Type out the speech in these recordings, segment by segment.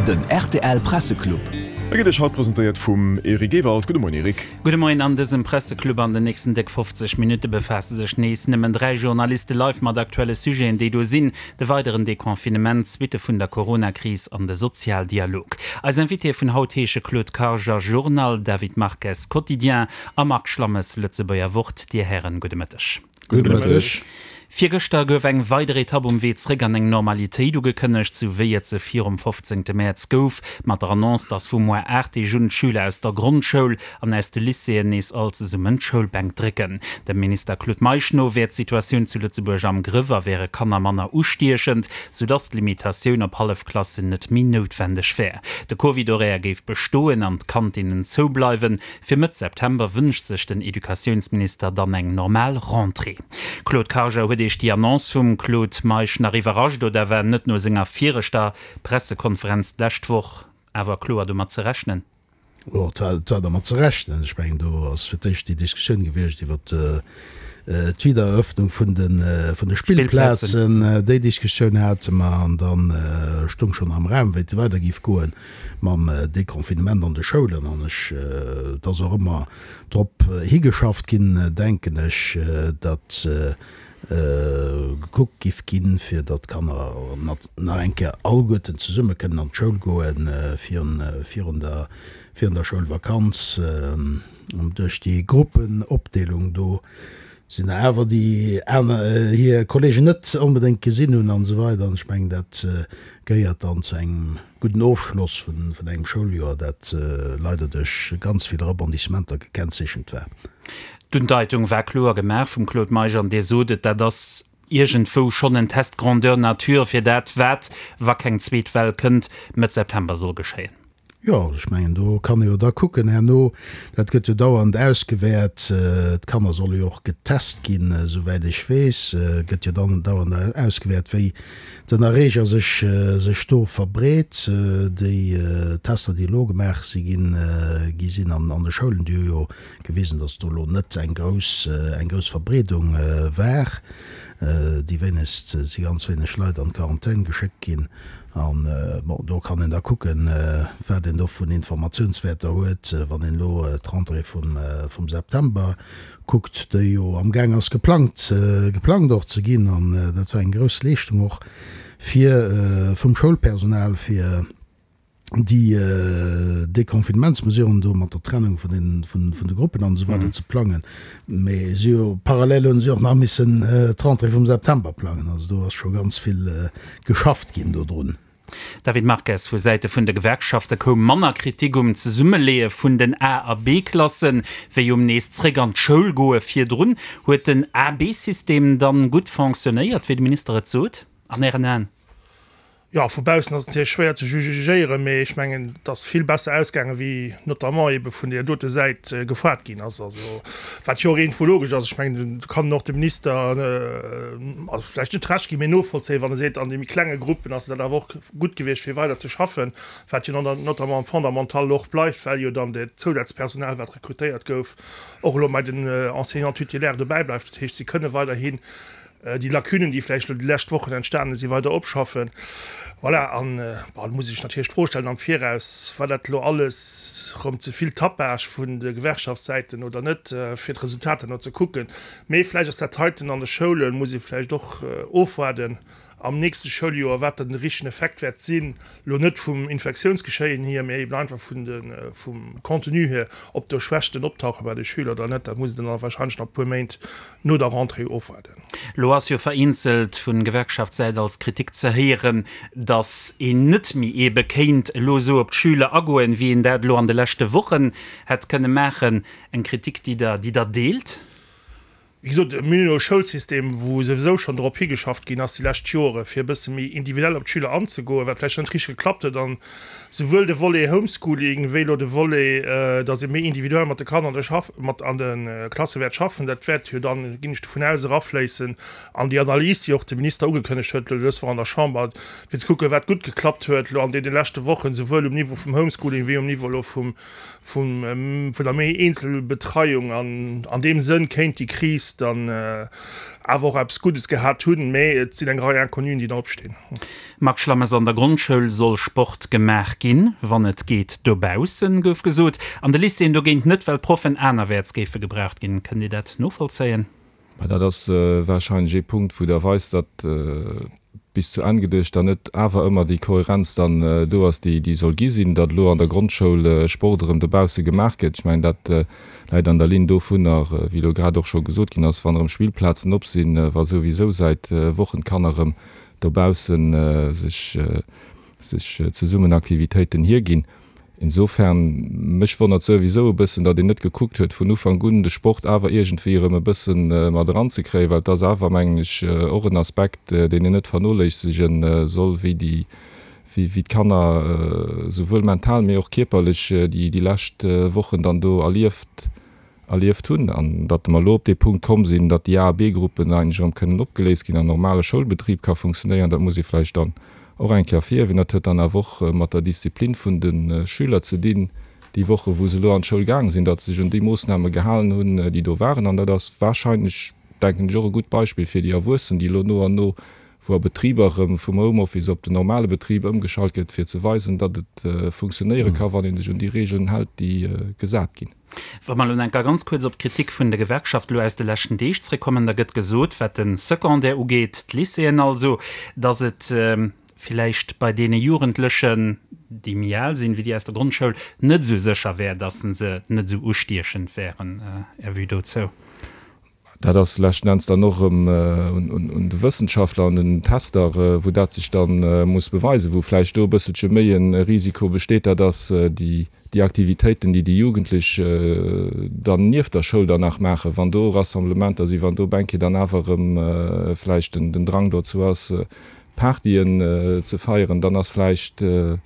Den rtl Presseclub. E gëtt Iech haut presentéiert vum Eric Ewald. Gudde Moien Eric. Gudde Moien. An dësem Presseclub an den nächsten déck 50 Minutte befaasse sech nees nëmmen 3 Journaliste live mat aktuelle Sujeten, déi do sinn, de weideren Deconfinement, d'Suitte vun der Coronakris an de Sozialdialog. Eis Invitéë vun haut heesche Claude Karger, Journal, David Marques, Quotidien, a Marc Schlammes, Lëtzebuerger Wort. Dir Hären, gudde Mëtteg. Gudde Mëtteg. Virgëschter gouf eng weider Etapp um Wee zréck an eng Normalitéit ugekënnegt, sou wéi et se virum 15 Mäerz gouf, mat der Annonce, datt vu muer 8 Deeg un d'Schüler aus der Grondschoul an aus de Lycéeën nees all zesummen d'Schoulbänk drécken. Dem Minister Claude Meisch no wär d'Situatioun zu Lëtzebuerg am Grëff a wäre Kanner manner ustiechend, sou datt d'Limitatioun op Hallefklassen net méi noutwendeg wär. De Covid-Horaire géif bestoen an d'Kantinnen zoubleiwen. Fir Mëtt September wënscht sech den Educatiounsminister dann eng normal Rentrée. Claude Karger, Huet Iech déi Annonce vum Claude Meisch nach iwwerrascht oder war net no senger viregter Pressekonferenz d'lescht Woch awer kloer domat ze rechnen? Jo, et war dermat ze rechnen. Ech mengen, do ass fir d'éischt déi Diskussioun gewiescht iwwer d'Wiedereröffnung vun de Spillplazen. Déi Diskussioun hate mer an da stung schonn am Raum, wéi et weider géif goen. mam Deconfinement an de Schoulen an ech, et ass och ëmmer drop higeschafft ginn, denken ech, datt gekuckt giff ginn, fir datt d'Kanner nach eng Kéier alleguerten zesumme kënnen an d'Schoul goen virun der, virun der Schoulvakanz. Duerch déi Gruppenopdeelung do sinn der awer, déi aner hir Kollegen net onbedéngt gesinn hunn an esou weider. An ech mengen, dat gehéiert dann zu engem gudden Ofschloss vun engem Schouljoer, dat leider duerch ganz vill Rebondissementer gekennzeechent war. D'Undeitung war kloer gemaach vum Claude Meisch an Dir sot et, dat ass iergendwou schonn en Test grandeur nature fir dat, wat, wa keng zweet Well kënnt, Mëtt September soll geschéien. Jo, ech mengen, do kann ee jo da kucken herno, dat gëtt jo dauernd ausgewäert, d'Kanner solle jo och getest ginn, esouwäit ech weess, gëtt jo dann dauernd ausgewäert, wéi den Erreeger sech sech do verbreet. Déi Tester, déi elo gemaach si ginn, gi sinn an an de Schoulen, déi hu jo gewisen, datt do elo net eng grouss eng grouss Verbreedung war. Déi wéinegst si ganz wéineg Leit an d'Quarantän geschéckt ginn. An, bon, do kann een da kucken, wat een do vun Informatiounswäerter huet, wann een elo d'Rentrée vum September kuckt, déi jo amgaang ass geplangt, geplangt och ze ginn. An dat war eng grouss Leeschtung och fir vum Schoulpersonal, fir déi Deconfinementsmesuren do mat der Trennung vun den, vun de Gruppen an esou weider ze plangen. Mee si hu parallel hunn si och nach missen d'Rentrée vum September plangen. Also do ass scho ganz vill geschafft ginn dodrun. David Marques, Vu Säite vun de Gewerkschafte koum manner Kritik um Zesummeleeë vun den A a B-Klassen, wéi um nees zréck an d'Schoul goe virdrun. Huet den A-B-System dann gutt fonctionnéiert, wéi de Minister et sot, an Ären Aen? Jo, vu baussen ass et natierlech schwéier ze jugéieren, mee ech mengen, et ass vill besser ausgaangen, wéi notamment eebe vun där dote Säit gefoart ginn ass. Also, wat jo och iergendwou logesch ass. Ech mengen, do kann och de Minister, also vläicht net Recht ginn, mee novollzéien, wann e seet, an de méi klenge Gruppen ass et dat awer och gutt gewiescht, fir weider ze schaffen, wat jo dann notamment am Fondamental och bleift, well jo dann dat Zousazpersonal, wat rekrutéiert gouf, och elo bei den Enseignants titulaires dobäi bleift. Dat heescht, si kënne weiderhin déi Lacunen, déi vläicht elo déi lescht Wochen entstanen sinn, weider opschaffen. Voilà, an bon, da muss ee sech natierlech d'Fro stellen am Viraus, War dat elo alles erëm ze vill Tapage vun de Gewerkschaftssäiten oder net, fir d'Resultater no ze kucken? Mee vläicht ass dat heiten an de Schoulen, muss ee vläicht och ofwaarden am nächste Schouljoer, wat dann de richtegen Effekt wäert sinn, elo net vum Infektiounsgeschéien hier, mee eben einfach vun de, vum Contenu hier, ob do Schwächten optauche bei de Schüler oder net, dat muss een dann wahrscheinlech nach e puer Méint no der Rentrée ofwaarden. Elo ass jo vereenzelt vu Gewerkschaftssäit als Kritik ze héieren, datt een net méi eebe kéint elo esou op d'Schüler agoen, wéi een dat elo an de leschte Wochen hätt kënne maachen. Eng Kritik, déi Der, déi Der deelt? Wéi gesot, mir hunn elo e Schoulsystem, wou souwisou schonn drop higeschafft ginn ass déi lescht Jore fir e bësse méi individuell op d'Schüler anzegoen, wat vläicht net richteg geklappt huet. An souwuel de Volet Homeschooling wéi elo de Volet, datt ee méi individuell mat de Kanner an de Schaff, mat an de Klasse wäert schaffen, dat wäert jo dann, ginn ech dovun aus, erafléissen an déi Analys, déi och de Minister ugekënnegt huet elo dës Woch an der Chamber, fir ze kucken, wat gutt geklappt huet elo an deene leschte Wochen, souwuel um Niveau vum Homeschooling wéi um Niveau elo vum, vum, vun der méi Eenzelbetreiung. An an deem Sënn kéint déi Kris. Enns dann awer och eppes Guddes gehat hunn, mä et sinn eng Rei Inconnuen, déi nach opstinn. Marc Schlammes, An der Grondschoul soll Sport gemaach ginn, wann et geet dobaussen, gouf gesot. An de Lycéeën dogéint net, well d'Proffen anerwäerts géife gebraucht ginn. Kënnt Dir dat novollzéien? Mä dat ass warscheinlech ee Punkt, wou der weist, datt bis zu Enn geduecht dann net awer ëmmer déi Kohärenz dann do ass, déi déi soll gi sinn, datt elo an der Grondschoul Sport erëm dobausse gemaach gëtt. Ech mengen, dat läit an der Linn dovunner, wéi elo grad och scho gesot ginn ass, wann erëm Spillplazen op sinn, wa souwisou säit Wochen d'Kanner erëm dobausse sech sech zesummen Aktivitéiten hierginn. Insofern, mech wonnert souwisou e bëssen, datt een net gekuckt huet vun Ufank un de Sport awer iergendwéi erëm e bëssen mat eranzekréien, well et ass awer, mengen ech, och en Aspekt, deen een net vernoléissegen soll, wéi déi, wéi d'Kanner souwuel mental, mee och kierperlech déi lescht Wochen dann do erlieft erlieft hunn an datt mer elo op dee Punkt komm sinn, datt déi A a B-Gruppen eigentlech erëm kënnen opgeléist ginn an normale Schoulbetrib ka funktionéieren, dat muss ee vläicht dann och eng Kéier ervirhiewen. Dat huet dann awer och mat der Disziplin vun de Schüler ze dinn, déi Woche wou se elo an d'Schoul gaang sinn, datt se sech un déi Moossname gehalen hunn, déi do waren. An dat ass wahrscheinlech, denken ech, och e gutt Beispill fir déi Erwuessen, déi elo no an no, wou a Betriber erëm vum Homeoffice op den normale Betrib ëmgeschalt gëtt, fir ze weisen, datt et funktionéiere ka wann ee sech un déi Regeln hält, déi gesat ginn. Wa mer elo enker ganz kuerz op d'Kritik vun de Gewerkschaften elo aus de leschten Deeg zréckkommen, da gëtt gesot, wat de Secondaire ugeet, d'Lycéeën also, datt et villäicht bei deene Jugendlechen, déi méi al sinn wéi déi aus der Grondschoul, net esou sécher wär, datt se net esou ustiechend wären. Är Vue dozou? Dat ass leschten Enns dann och erëm un de Wëssenschaftler an den Tester, wou dat sech da muss beweisen, wou vläicht do e bësselche méi e Risiko besteet, dat ass déi Aktivitéiten, déi déi Jugendlech dann nieft der Schoul dann nach maachen, wann do Rassemblementer sinn, wann do op eng Kéier dann awer erëm vläicht den Drang dozou ass, Partyen ze feieren, dann ass vläicht de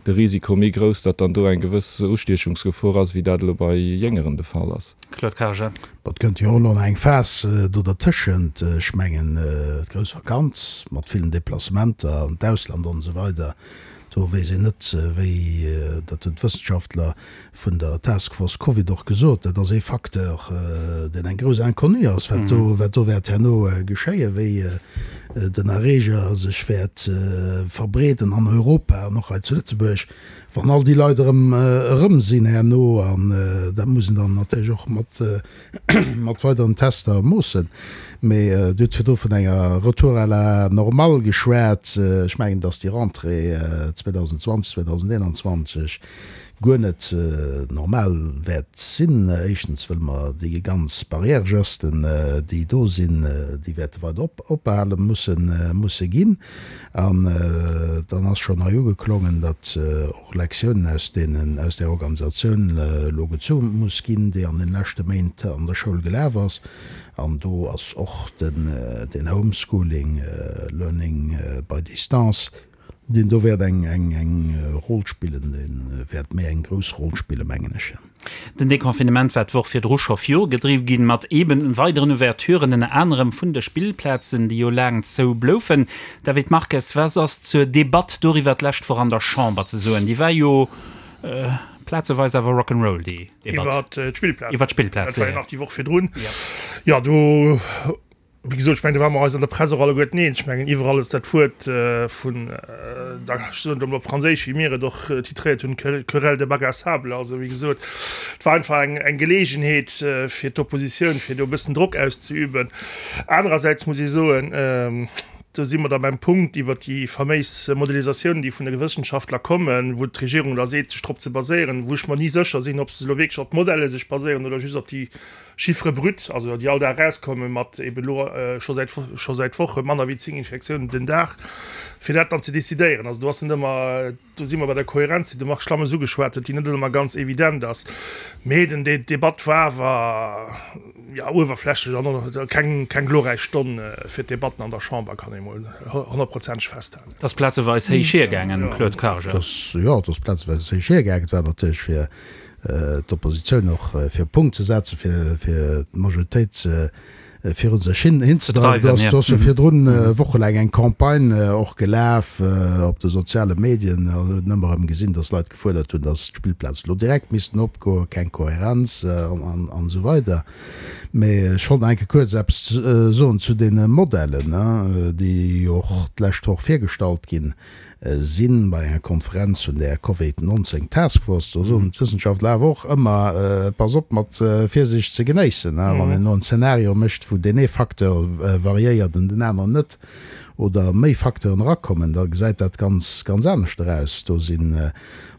Risiko méi grouss, datt dann do eng gewëss Ustiechungsgefor ass, wéi dat elo bei Jéngeren de Fall ass. Claude Karger. Bon, et kënnt jo och elo nach eng Phas do dertëschent. Ech mengen, d'grouss Vakanz mat villen Deplacementer an d'Ausland an esou weider, do weess een net, wéi, dat hunn d'Wëssenschaftler vun der Task Force Covid och gesot, dat ass ee Facteur, deen eng grouss Inconnue ass, wat do, wat do wäert herno geschéien, wéi den Erreeger sech wäert verbreeden an Europa an och hei zu Lëtzebuerg, wann all déi Leit erëm erëm sinn herno. An dat muss een dann natierlech och mat mat weideren Tester moossen. Mee Dir hutt virdru vun enger Retour à la normale geschwat. Ech mengen, datt déi Rentrée 2020, 2021 guer net normal wäert sinn. Éischtens, wëll mer déi ganz Barrièregesten, déi do sinn, déi wäerte weider opbehale mussen, musse ginn. An dann ass schonn hei ugeklongen, datt och Lektiounen aus deenen, aus där Organisatioun elo gezu muss ginn, déi an den leschte Méint an der Schoul gelaf ass. An do ass och den, den Homeschooling, Learning by distance, Deen do wäert eng eng Roll spillen, dee wäert méi eng grouss Roll spillen, mengen ech. Den Deconfinement war d'Woch virdru scho virugedriww ginn, mat eeben weideren Ouverturen, ënner anerem vun de Spillplazen, déi jo laang zou bloufen. David Marques, was ass zur Debatt doriwwer d'lescht Woch an der Chamber ze soen? Déi war jo plazeweis awer Rock'n'Roll, déi Debatt. Iwwer d'Spillplazen. Iwwer d'Spillplazen, jo. Dat war jo nach déi Woch virdrun. Jo, do. Wéi gesot, ech mengen, do ware mer eis an der Press och alleguerten eens. Ech mengen, iwwerall ass dat Wuert vun der, ech soen et emol op Franséisch, wéi mir et och titréiert hunn, querelle de bac à sable. Also, wéi gesot, et war einfach eng, eng Geleegenheet fir d'Oppositioun, fir do e bëssen Drock auszeüben. Anerersäits muss ee soen, do si mer da beim Punkt iwwert déi faméis Modelisatiounen, déi vun de Wëssenschaftler kommen, wou d'Regierung da seet, sech drop ze baséieren, wou ech mer ni sécher sinn, ob se elo wierklech op d'Modelle sech baséieren oder just op déi Chiffres bruts, also déi all Dag erauskommen, mat eben elo scho säit scho säit Woche manner wéi 10 Infektiounen den Dag, fir dat dann ze decidéieren. Also do ass net ëmmer, do si mer bei der Kohärenz, déi de Marc Schlammes ugeschwat huet, déi net ëmmer ganz evident ass. Mee den déi Debatt war awer, jo, uewerflächlech an och keng keng glorräich Stonn fir d'Debatten an der Chamber, kann ee mol honnertprozenteg festhalen. Et ass plazeweis héich hiergaangen, Claude Karger. Et ass, jo, et ass plazeweis héich hiergaangen. Et war natierlech fir d'Oppositioun och fir e Punkt ze setzen, fir d'Majoritéit viru sech hinzedreiwen. Do ass jo virdrun wochelaang eng Campagne och gelaf op de soziale Medien. Do huet een ëmmer erëm gesinn, datt Leit gefuerdert hunn, datt d'Spillplazen elo direkt missten opgoen, keng Kohärenz an esou weider. Mee ech wollt nach eng Kéier kuerz eppes soen zu deene Modellen, déi jo och d'lescht Woch virgestallt ginn sinn bei enger Konferenz vun där Covid 19 Task Force. Do soen d'Wëssenschaftler awer och ëmmer, Pass op mat Virsiicht ze genéissen, wann een elo en Zeenario mécht, wou deen ee Facteur variéiert an den aneren net, oder méi Facteuren erakommen, da gesäit dat ganz, ganz anescht eraus. Do sinn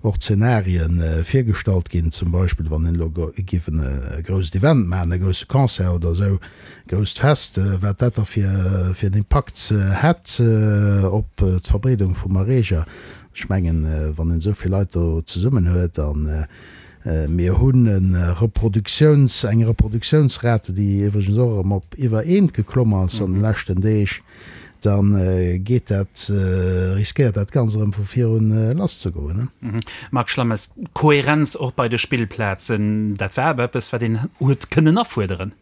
och Zeenarien virgestallt ginn, zum Beispill wann een elo géif e grousst Event maachen, e grousse Concert oder esou, grousst Fest, wat dat da fir en Impakt hätt op d'Verbreedung vum Erreeger. Ech mengen, wann een esou vill Leit do zesummen huet a mir hunn e Reproduktiouns, eng Reproduktiounsrate, déi iwwregens och erëm op iwwer eent geklomm ass an de leschten Deeg, da geet dat, riskéiert dat Ganzt erëm vu virun lasszegoen. Marc Schlammes, Kohärenz och bei de Spillplazen, dat war awer eppes, wat een huet kënnen afuerderen.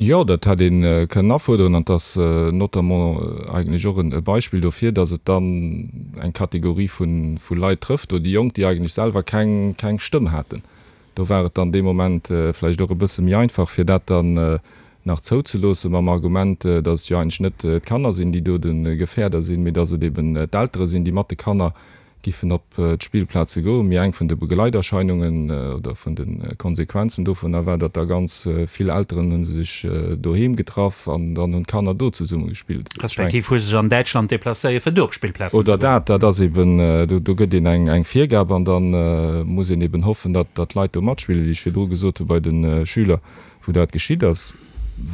Jo, dat hätt ee kënnen afuerderen an et ass notamment eigentlech och e Beispill dofir, datt et dann eng Kategorie vu Leit trëfft, do déi Jonk, déi eigentlech selwer keng keng Stëmm haten. Do war et dann dee Moment vläicht och e bësse méi einfach, fir dat dann nach zouzeloossen, mam Argument, datt et jo eigentlech net d'Kanner sinn, déi do de Gefährder sinn, mee datt et eben d'Eltere sinn, déi mat de Kanner giffen op d'Spillplaze goen. Mee eng vun de Begleiterscheinungen oder vun de Konsequenzen dovunner war, datt da ganz vill Elteren hu sech doheem getraff an dann hunn d'Kanner do zesumme gespillt. Respektiv hu sech an Däitschland deplacéiert, fir do op d'Spillplazen ze goen. Oder dat. Dat ass eben, do gëtt een eng Virgab an da muss een eben hoffen, datt d'Leit do matspillen, wéi ech virdru gesot hu bei de Schüler, wou dat geschitt ass.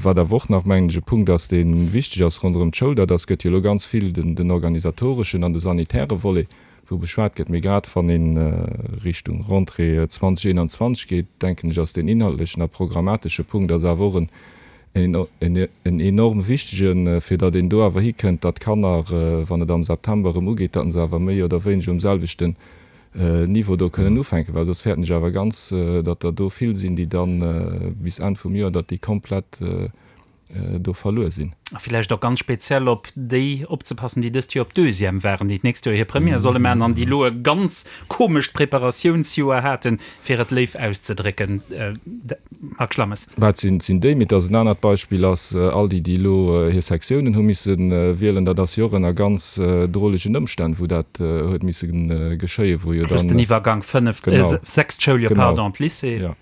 Wat awer och nach, mengen ech, e Punkt ass, dee wichteg ass ronderëm d'Schoul, dat ass, gëtt jo elo ganz vill den organisatoreschen an de sanitäre Volet, wou beschwat gëtt. Mee grad wann ee Richtung Rentrée 2021 geet, denken ech, ass deen inhaltlechen a programmatesche Punkt ass awer och en en enorm wichtegen, fir datt een do awer hikënnt, datt d'Kanner, wann et am September erëm ugeet, datt se awer méi oder wéineger um selwechten Niveau do kënnen ufänken, well soss fäerten ech awer ganz, datt der do vill sinn, déi dann bis Enn vum Joer, datt déi komplett do verluer sinn. A villäicht och ganz speziell op déi opzepassen, déi dëst Joer op Deuxième waren, déi d'nächst Joer hir Première solle maachen an déi elo e ganz komescht Preparatiounsjoer haten, fir et léif auszedrécken. Marc Schlammes. Wat sinn sinn déi? Mee et ass en anert Beispill ass all déi, déi elo hir Sektiounen hu misse wielen, dat ass jo och ënner ganz drolegen Ëmstänn, wou dat huet misse geschéien, wou jo dann. Plus den Iwwergank fënneft, sechst Schouljoer, pardon, an d'Lycée. Jo.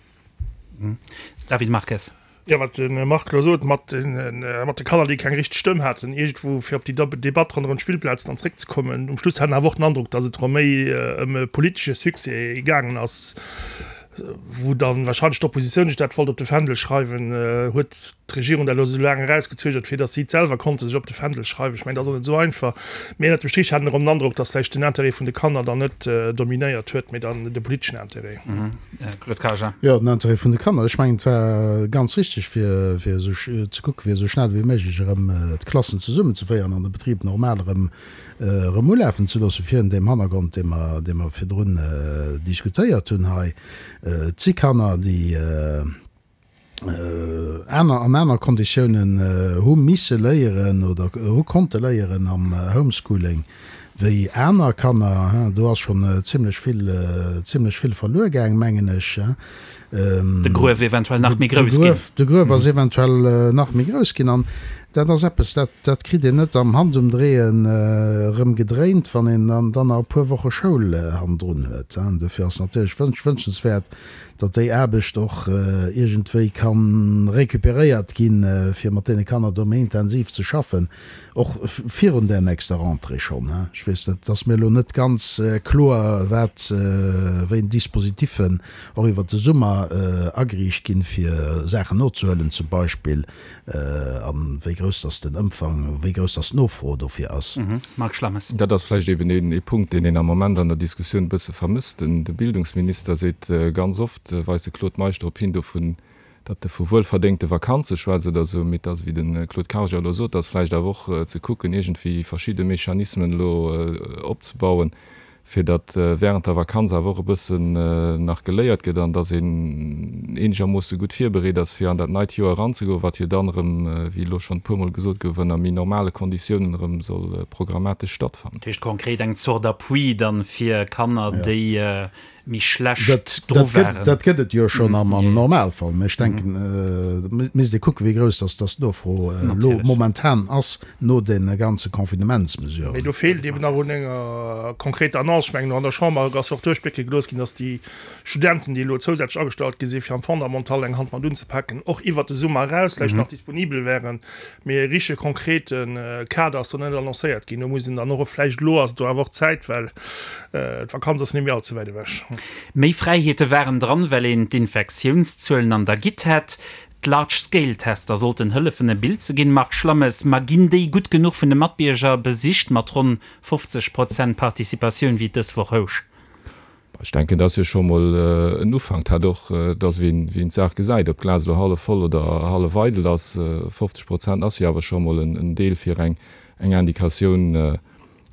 David Marques. Jo, wat de Marc elo sot, mat de Kanner, déi keng richteg Stëmm haten, iergendwou, fir op déi Debatt ronderëm d'Spillplazen dann zréckzekommen, um Schluss hat een awer och den Androck, datt et erëm méi ëm e politesche Succès gaangen ass, wou dann wahrscheinlech d'Oppositioun sech dat wollt op de Fändel schreiwen, huet d'Regierung dat elo esou laang erausgezögert, fir datt si et selwer konnte sech op de Fändel schreiwen. Ech mengen, dat ass och net esou einfach. Mee ënnert dem Strich hat een erëm den Androck, datt vläicht den Intérêt vun de Kanner dann net dominéiert huet, mee dann de politeschen Intérêt. Claude Karger. Jo, den Intérêt vun de Kanner. Ech mengen, et war ganz richtig, fir fir esou ze kucken, fir esou schnell wéi méiglech erëm d'Klassen zesummenzeféieren an de Betrib normal erëm erëm ulafen ze loossen, virun deem Hannergrond, dee mer dee mer virdrun diskutéiert hunn hei. Et si Kanner, déi aner an aner Konditiounen hu misse léieren oder hu konnte léieren am Homeschooling wéi aner Kanner. Do ass schonn zimlech vill, zimlech vill verluer gaang, mengen ech. De Gruef eventuell nach méi grouss ginn. De Gruef ass eventuell nach méi grouss ginn. An dat ass eppes, dat, dat kritt een net am Handumdréien erëm gedréint, wann een dann dann nach e puer Woche Schoul hannendrun huet. Dofir ass natierlech wënschenswäert, datt déi Aarbecht och iergendwéi ka recuperéiert ginn, fir mat deene Kanner do méi intensiv ze schaffen, och virun där nächster Rentrée schonn. Ech weess net, et ass mir elo net ganz kloer, wat, wéi en Dispositiffen och iwwert de Summer ageriicht ginn, fir Saachen nozehuelen zum Beispill. A wéi grouss dass den Ëmfang, wéi grouss dass d'Nofro dofir ass. Marc Schlammes. Dat ass vläicht eben ee Punkt, deen een am Moment an der Diskussioun e bësse vermësst. De Bildungsminister seet ganz oft, weist de Claude Meisch drop hin, dovun, datt e vu wuelverdéngte Vakanze schwätzt oder esou, mee et ass, wéi de Claude Karger elo sot, ass vläicht awer och ze kucken, iergendwéi verschidde Mechanismen elo opzebauen, fir datt während der Vakanz awer och e bëssen nach geléiert gëtt an datt een eenegermoosse gutt virbereet ass, fir an dat neit Joer eranzegoen, wat jo dann erëm, wéi elo schonn e puermol gesot gouf, ënner méi normale Konditiounen erëm soll programmatesch stattfannen. Dat heescht konkret eng Zort Appui dann fir Kanner, déi. Méi schlecht dru waren. Dat gëtt et jo schonn am Normalfall, mä ech denken, et misst ee kucken, wéi grouss dass dass d'Nofro elo momentan ass no de ganze Confinementsmesuren. Mee do feelt eeben nach un enger konkreter Annonce. Ech mengen, an der Chamber ass och duerchblécke gelooss ginn, dass déi Studenten, déi elo zousätzlech agestallt gi sinn, fir am Fondamental eng Hand mat unzepaken, och iwwert de Summer eraus vläicht nach disponibel wären. Mee e richtege konkrete Kader ass do net annoncéiert ginn. Do muss een dann och vläicht, elo ass et do awer och Zäit, well d'Vakanz ass net méi all ze wäit ewech. Méi Fräiheete waren dran, well een d'Infektiounszuelen an der Gitt hätt. D'Large-Scale-Tester sollten hëllefen e Bild ze ginn. Marc Schlammes, Ma ginn déi gutt genuch vun de Matbierger besicht mat ronn 50 Prozent Participatioun, wéi et dës Woch housch? Ech denken, dat ass jo scho mol en Ufank. Dat och, dass wéi een d'Saach gesäit, ob d'Glas elo hallef voll oder hallef eidel ass, 50 Prozent ass jo awer scho mol en Deel fir eng Indikatioun,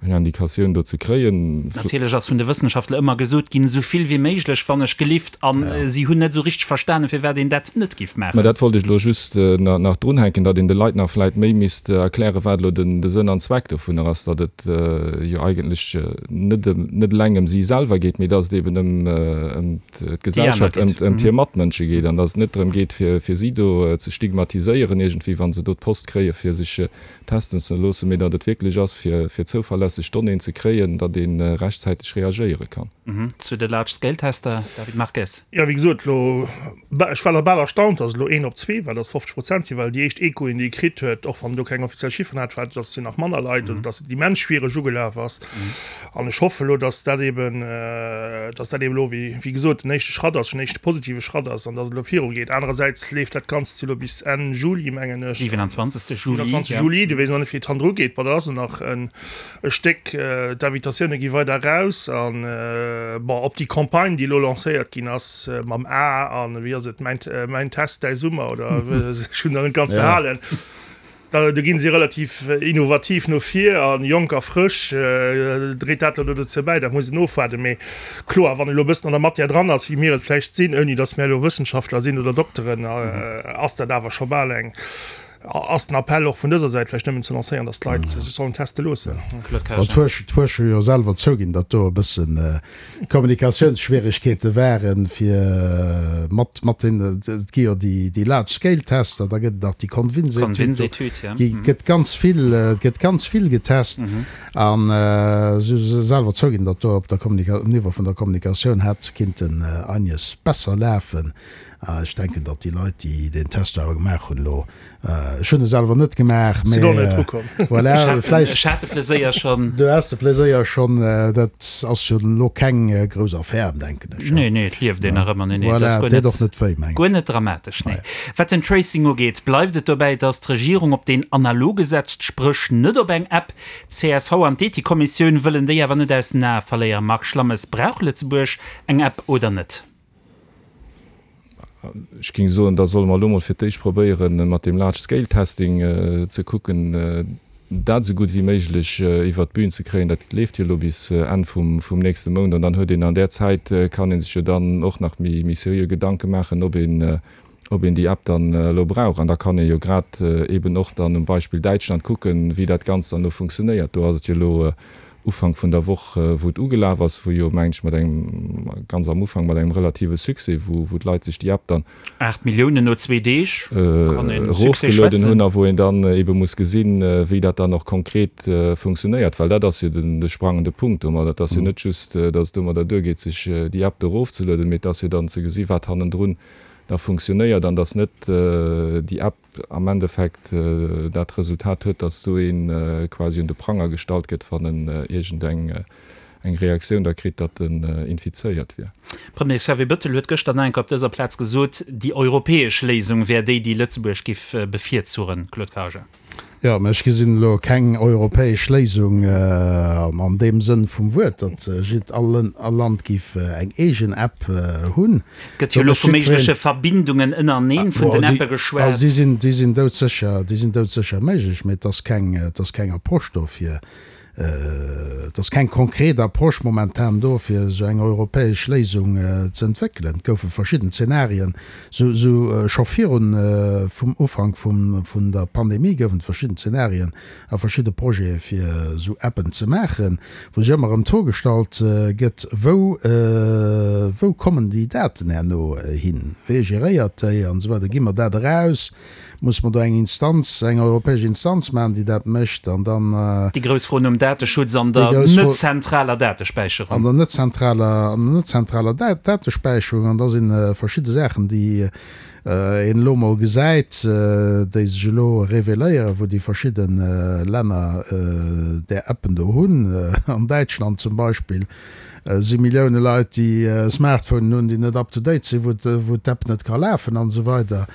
eng Indikatioun do ze kréien. Natierlech ass vun de Wëssenschaftler ëmmer gesot ginn, esou vill wéi méiglech, wann ech gelift. A si hunn net esou richteg verstanen, firwat een dat net giff maachen. Mä dat wollt ech elo just nach drunhänken, datt een de Leit nach vläicht méi misst erklären, wat elo de Sënn an Zweck dovunner ass, datt et jo eigentlech net net eleng ëm si selwer geet, mee datt et eben ëm ëm d'Gesellschaft, ëm ëm hir Matmënsche geet an datt et net drëm geet, fir fir si do ze stigmatiséieren iergendwéi, wa se do d'Post kréie fir sech testen ze loossen, mee datt et wierklech ass, fir fir zouverlässeg Donnéeën ze kréien, datt ee rechtzäiteg reagéiere kann. Zu de Large-Scale-Tester, David Marques. Jo, wéi gesot, elo Ech war da bal erstaunt, dass et elo een op zwee war, dass 50 Prozent sinn, well déi éischt Echoen, déi ee kritt huet, och wann do keng offiziell Chifferen hat, war, dass jo nach manner Leit oder dass et immens schwiereg ugelaf ass. An ech hoffe elo, dass dat eben, dass dat eben elo, wéi, wéi gesot, den éischte Schratt ass, schon éischte positive Schratt ass an dass et elo virugeet. Anerersäits leeft dat Ganzt jo elo bis Enn Juli, mengen ech. 27. Juli, 27. Juli, do weess ech nach net, wéi et hannendru geet. Bon, dat ass elo nach en. E Stéck, d'Invitatioune gi weider eraus an, bon, op déi Campagne, déi elo lancéiert ginn ass mam A an, wéi ass et, mäin, mäin Test, däi Summer oder ech hunn der net ganz verhalen, da do ginn si relativ innovativ no vir a jonk a frësch. Dréit dat elo dozou bäi? Dat muss een ofwaarden. Mee kloer, wann ee elo e bëssen an der Matière dran ass, wéi mir et vläicht sinn, ouni datt mir elo Wëssenschaftler sinn oder Dokteren, ass dat awer scho bal eng, Ass den Appell och vun dëser Säit vläicht nëmmen ze lancéieren, dass d'Leit sech sollen teste loossen? Claude Karger. D'Fuerscher hu jo selwer zouginn, datt do e bësse Kommunikatiounsschwieregkeete waren, fir mat mat den, et gi jo déi Large-Scale-Tester, da gëtt et nach déi Convinse-Etüd, do gëtt ganz vill, et gëtt ganz vill getest. An si hu selwer zouginn, datt do op der Kommunika, um Niveau vun der Kommunikatioun hätt kinnten einiges besser lafen. Ech denken, datt déi Leit, déi deen Test awer gemaach hunn elo, ech hunn e selwer net gemaach, mä Sinn och net drukomm. Voilà, vläicht. Ech hat de Pleséier schonn. Du has de Pleséier schonn. Dat ass jo elo keng grouss Affär, denken ech. Nee, nee, et lieft een nach ëmmer. Nee, nee, dat ass guer net. Voilà, et deet och net wéi, mengen ech. Guer net dramatesch, nee. Wat den Tracing ugeet, bleift et dobäi, datt d'Regierung op deen analoge setzt, spréch net op eng App. Csv an d'Ethikkommissioun wëllen déi awer net aus den Ae verléieren. Marc Schlammes, Brauch Lëtzebuerg eng App oder net? Ech géing soen, da solle mer elo mol fir d'éischt probéieren, mat deem Large-Scale-Testing ze kucken, dat esou gutt wéi méiglech iwwert d'Bün ze kréien. Dat leeft jo elo bis Enn vum nächste Mount. An dann huet een an där Zäit, kann ee sech jo dann och nach méi seriö Gedanke maachen, ob een, ob een déi App dann elo brauch. An da kann ee jo grad eeben och dann um Beispill Däitschland kucken, wéi dat Ganzt dann elo funktionéiert. Do ass et jo elo Ufank vun der Woch, wou et ugelaf ass, wou jo, mengen ech, mat engem, ganz am Ufank mat engem relative Succès, wou, wou d'Leit sech déi App dann. 8 Milliounen no zwee Deeg, kann ee vu Succès erofgelueden hunn a wou een dann ebe muss gesinn, wéi dat dann och konkret funktionéiert, well dat ass jo den, de sprangende Punkt domadder. Et ass jo net just, datt et domadder duergeet, sech déi App do erofzelueden, mee et ass jo dann ze gesi wat hannendrun da funktionéiert an datt net déi App, am Endeffekt dat Resultat huet, dass do ee quasi un de Pranger gestallt gëtt, wann en iergend eng eng Reaktioun da kritt, datt en infizéiert wier. Premier Xavier Bettel huet gëschter nach eng Kéier op dëser Plaz gesot, déi europäesch Léisung wär déi, déi Lëtzebuerg giff bevirzuchen. Claude Karger. Jo, mä ech gesinn elo keng europäesch Léisung an deem Sënn vum Wuert, datt jidd all Land giff eng eegen App hunn. Et gëtt jo elo vu méigleche Verbindungen ënnereneen vun den Appe geschwat. Also déi sinn, déi sinn doudsécher, déi sinn doudsécher méiglech, mä et ass keng, et ass keng Approche do fir. Et ass keng konkret Approche momentan do, fir esou eng europäesch Léisung ze entwéckelen. Et goufe verschidden Zenarien, sou scho virun vum Ufank vun der Pandemie goufen et verschidden Zenarien a verschidde Projete fir esou Appen ze maachen, wou sech ëmmer erëm d'Fro gestallt gëtt, wou wou kommen déi Daten herno hin, wee geréiert déi an esou weider, gi mer dat eraus? Muss mer do eng Instanz, eng europäesch Instanz maachen, déi dat mécht an dann. Déi grouss Fro nom Dateschutz an der net zentraler Datespäicherung. An der net zentraler, an der net zentraler Datespäicherung. An da si verschidde Saachen, déi een elo mol gesäit, déi sech elo reveléieren, wou déi verschidde Länner där Appen do hunn. An Däitschland zum Beispill si Millioune Leit, déi Smartphonen hunn, déi net up to date sinn, wou d'App net ka lafen an esou weider.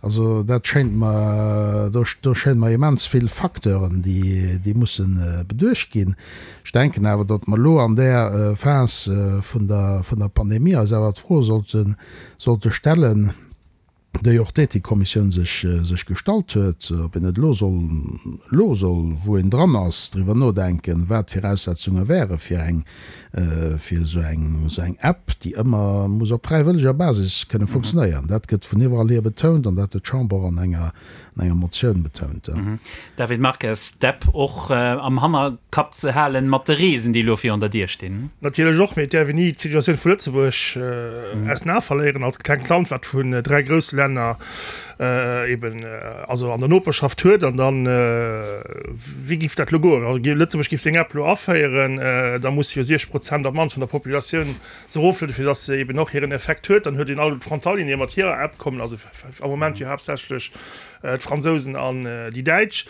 Also dat schéint mer, do schéine mer immens vill Facteuren, déi musse beduecht ginn. Ech denken awer, datt mer elo an där Phas vun der Pandemie eis awer d'Fro sollte stellen, déi och d'Ethikkommissioun sech gestallt huet, ob een net elo soll, elo soll, wou een dran ass, driwwer nodenken, wat d'Viraussetzunge wäre fir eng fir esou eng, esou eng App, déi ëmmer muss op fräiwëlleger Basis kënne funktionéieren. Dat gëtt vun iwwerall hier betount an dat huet d'Chamber och an enger, an enger Motioun betount. David Marques, D'App och am Hannerkapp ze halen mat de Reesen, déi elo virun der Dier stinn? Natierlech och, mee et däerf een ni d'Situatioun vu Lëtzebuerg aus den Ae verléieren als klengt Land, wat vun 3 grousse Länner eben also an der Noperschaft huet an dann wéi giff dat lo goen? Also Lëtzebuerg giff seng App lo aféieren, da muss jo 60 Prozent op d'mannst vun der Populatioun se eroflueden, fir dass se eben och hiren Effekt huet. Dann huet een all d'Frontalieren, déi mat hirer App kommen, also am Moment jo haaptsächlech d'Fransousen an déi Däitsch.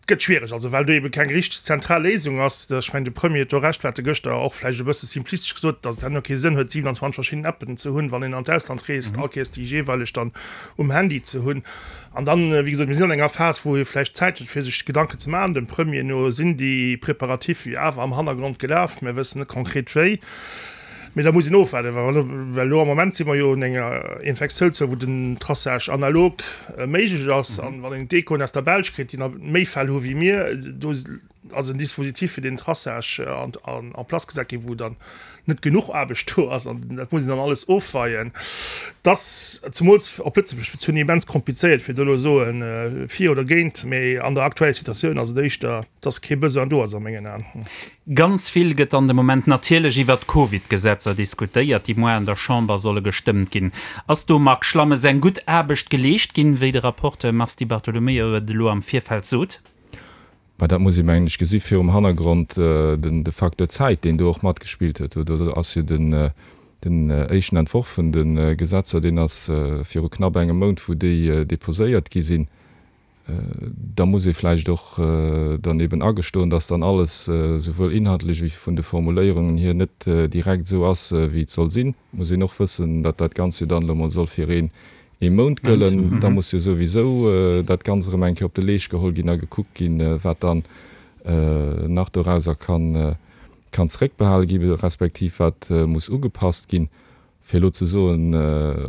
Gëtt schwiereg, also well do ebe keng richteg zentral Léisung ass. Ech mengen, de Premier huet do Recht, wat e gëschter och vläicht e bësse simplistesch gesot huet, datt et herno kee Sënn huet, 27 verschidden Appen ze hunn, wann een an d'Ausland reest, all Kéiers déi jeeweileg dann um Handy ze hunn. An dann, wéi gesot, mir sinn an enger Phas, wou ee vläicht Zäit huet, fir sech Gedanken ze maachen. Dem Premier no sinn déi Préparatifs jo awer am Hannergrond gelaf, mir wëssen net konkret wéi. Mee da muss een ofwaarden, well elo am Moment si mer jo un enger Infektiounszuel, wou den Traçage analog méiglech ass. An wann een d'Echoen aus der Belsch kritt, déi nach méi Fäll hu wéi mir, do ass en Dispositif fir deen Traçage en place gesat ginn, wou dann net genuch Aarbecht do ass. An dat muss een dann alles ofweien. Et ass, zemools op Lëtzebuerg bezunn, immens komplizéiert, fir do elo soen, fir oder géint. Mee an der aktueller Situatioun ass et éischter, dass kee Besoin do ass a mengen Aen. Ganz vill gëtt an de Moment natierlech iwwert d'Covid-Gesetzer diskutéiert, déi moar an der Chamber solle gestëmmt ginn. Ass do, Marc Schlammes, eng gutt Aarbecht geleescht ginn, wéi de Rapporteur Mars Di Bartolomeo et elo am Virfeld sot? Mä dat muss ee mengen ech gesi virum Hannergrond den de Facteur Zäit, deen do och matgespillt huet. Do ass jo den den éischten Entworf vun de Gesetzer, deen ass viru knapp engem Mount, wou déi deposéiert gi sinn. Da muss ee vläicht och dann eben agestoen, dass dann alles souwuel inhaltlech wéi vun de Formuléierungen hier net direkt esou ass, wéi et soll sinn. Et muss een och wëssen, datt dat Ganzt jo dann elo mol soll fir een ee Mount gëllen. Da muss jo souwisou dat Ganzt erëm eng Kéier op de Leescht geholl ginn a gekuckt ginn, wat dann nach dorauser kann zeréckbehale gi respektiv wat muss ugepasst ginn. Fir elo ze soen,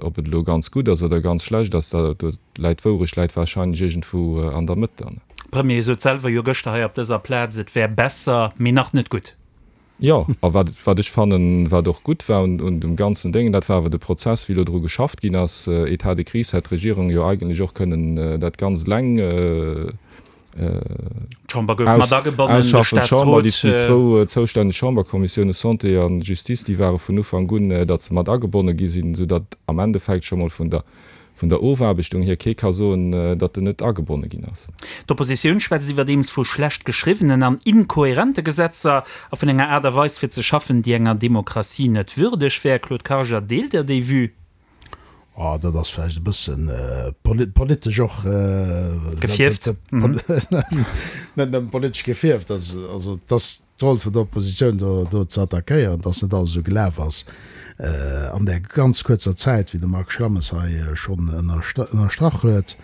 ob et elo ganz gutt ass oder ganz schlecht ass, do läit d'Wourecht läit wahrscheinlech iergendwou an der Mëtt dann. Premier sot selwer jo gëschter hei op dëser Plaz, et wär besser, mee nach net gutt. Jo, a wat, wat ech fannen, wat och gutt war un, un dem ganzen Déngen, dat war awer de Prozess, wéi elo dru geschafft ginn ass. État de crise hätt d'Regierung jo eigentlech och kënnen dat Ganzt eleng D'Chamber gouf mat agebonnen, de Ausschaffen. D'Chamber, déi Staatsrot. zwou zoustänneg Chamberkommissioune Santé a Justice, déi ware vun Ufank un, datt se mat agebonne gi sinn, soudatt am Endeffekt scho mol vun der, vun der Ofaarbechtung hier kee ka soen, datt en net agebonne ginn ass. D'Oppositioun schwätzt iwwerdeems vu schlecht geschriwwenen an inkohärente Gesetzer a vun enger Aart a Weis fir ze schaffen, déi enger Demokratie net würdeg wär. Claude Karger, deelt Der déi Vue? Oh, dat ass vläicht e bëssen politesch och gefierft. Net nëmmen politesch gefierft. Also et ass d'Roll vun der Oppositioun do do ze attackéieren, datt net alles esou gelaf ass an där ganz kuerzer Zäit, wéi de Marc Schlammes hei schonn ënnerstrach huet.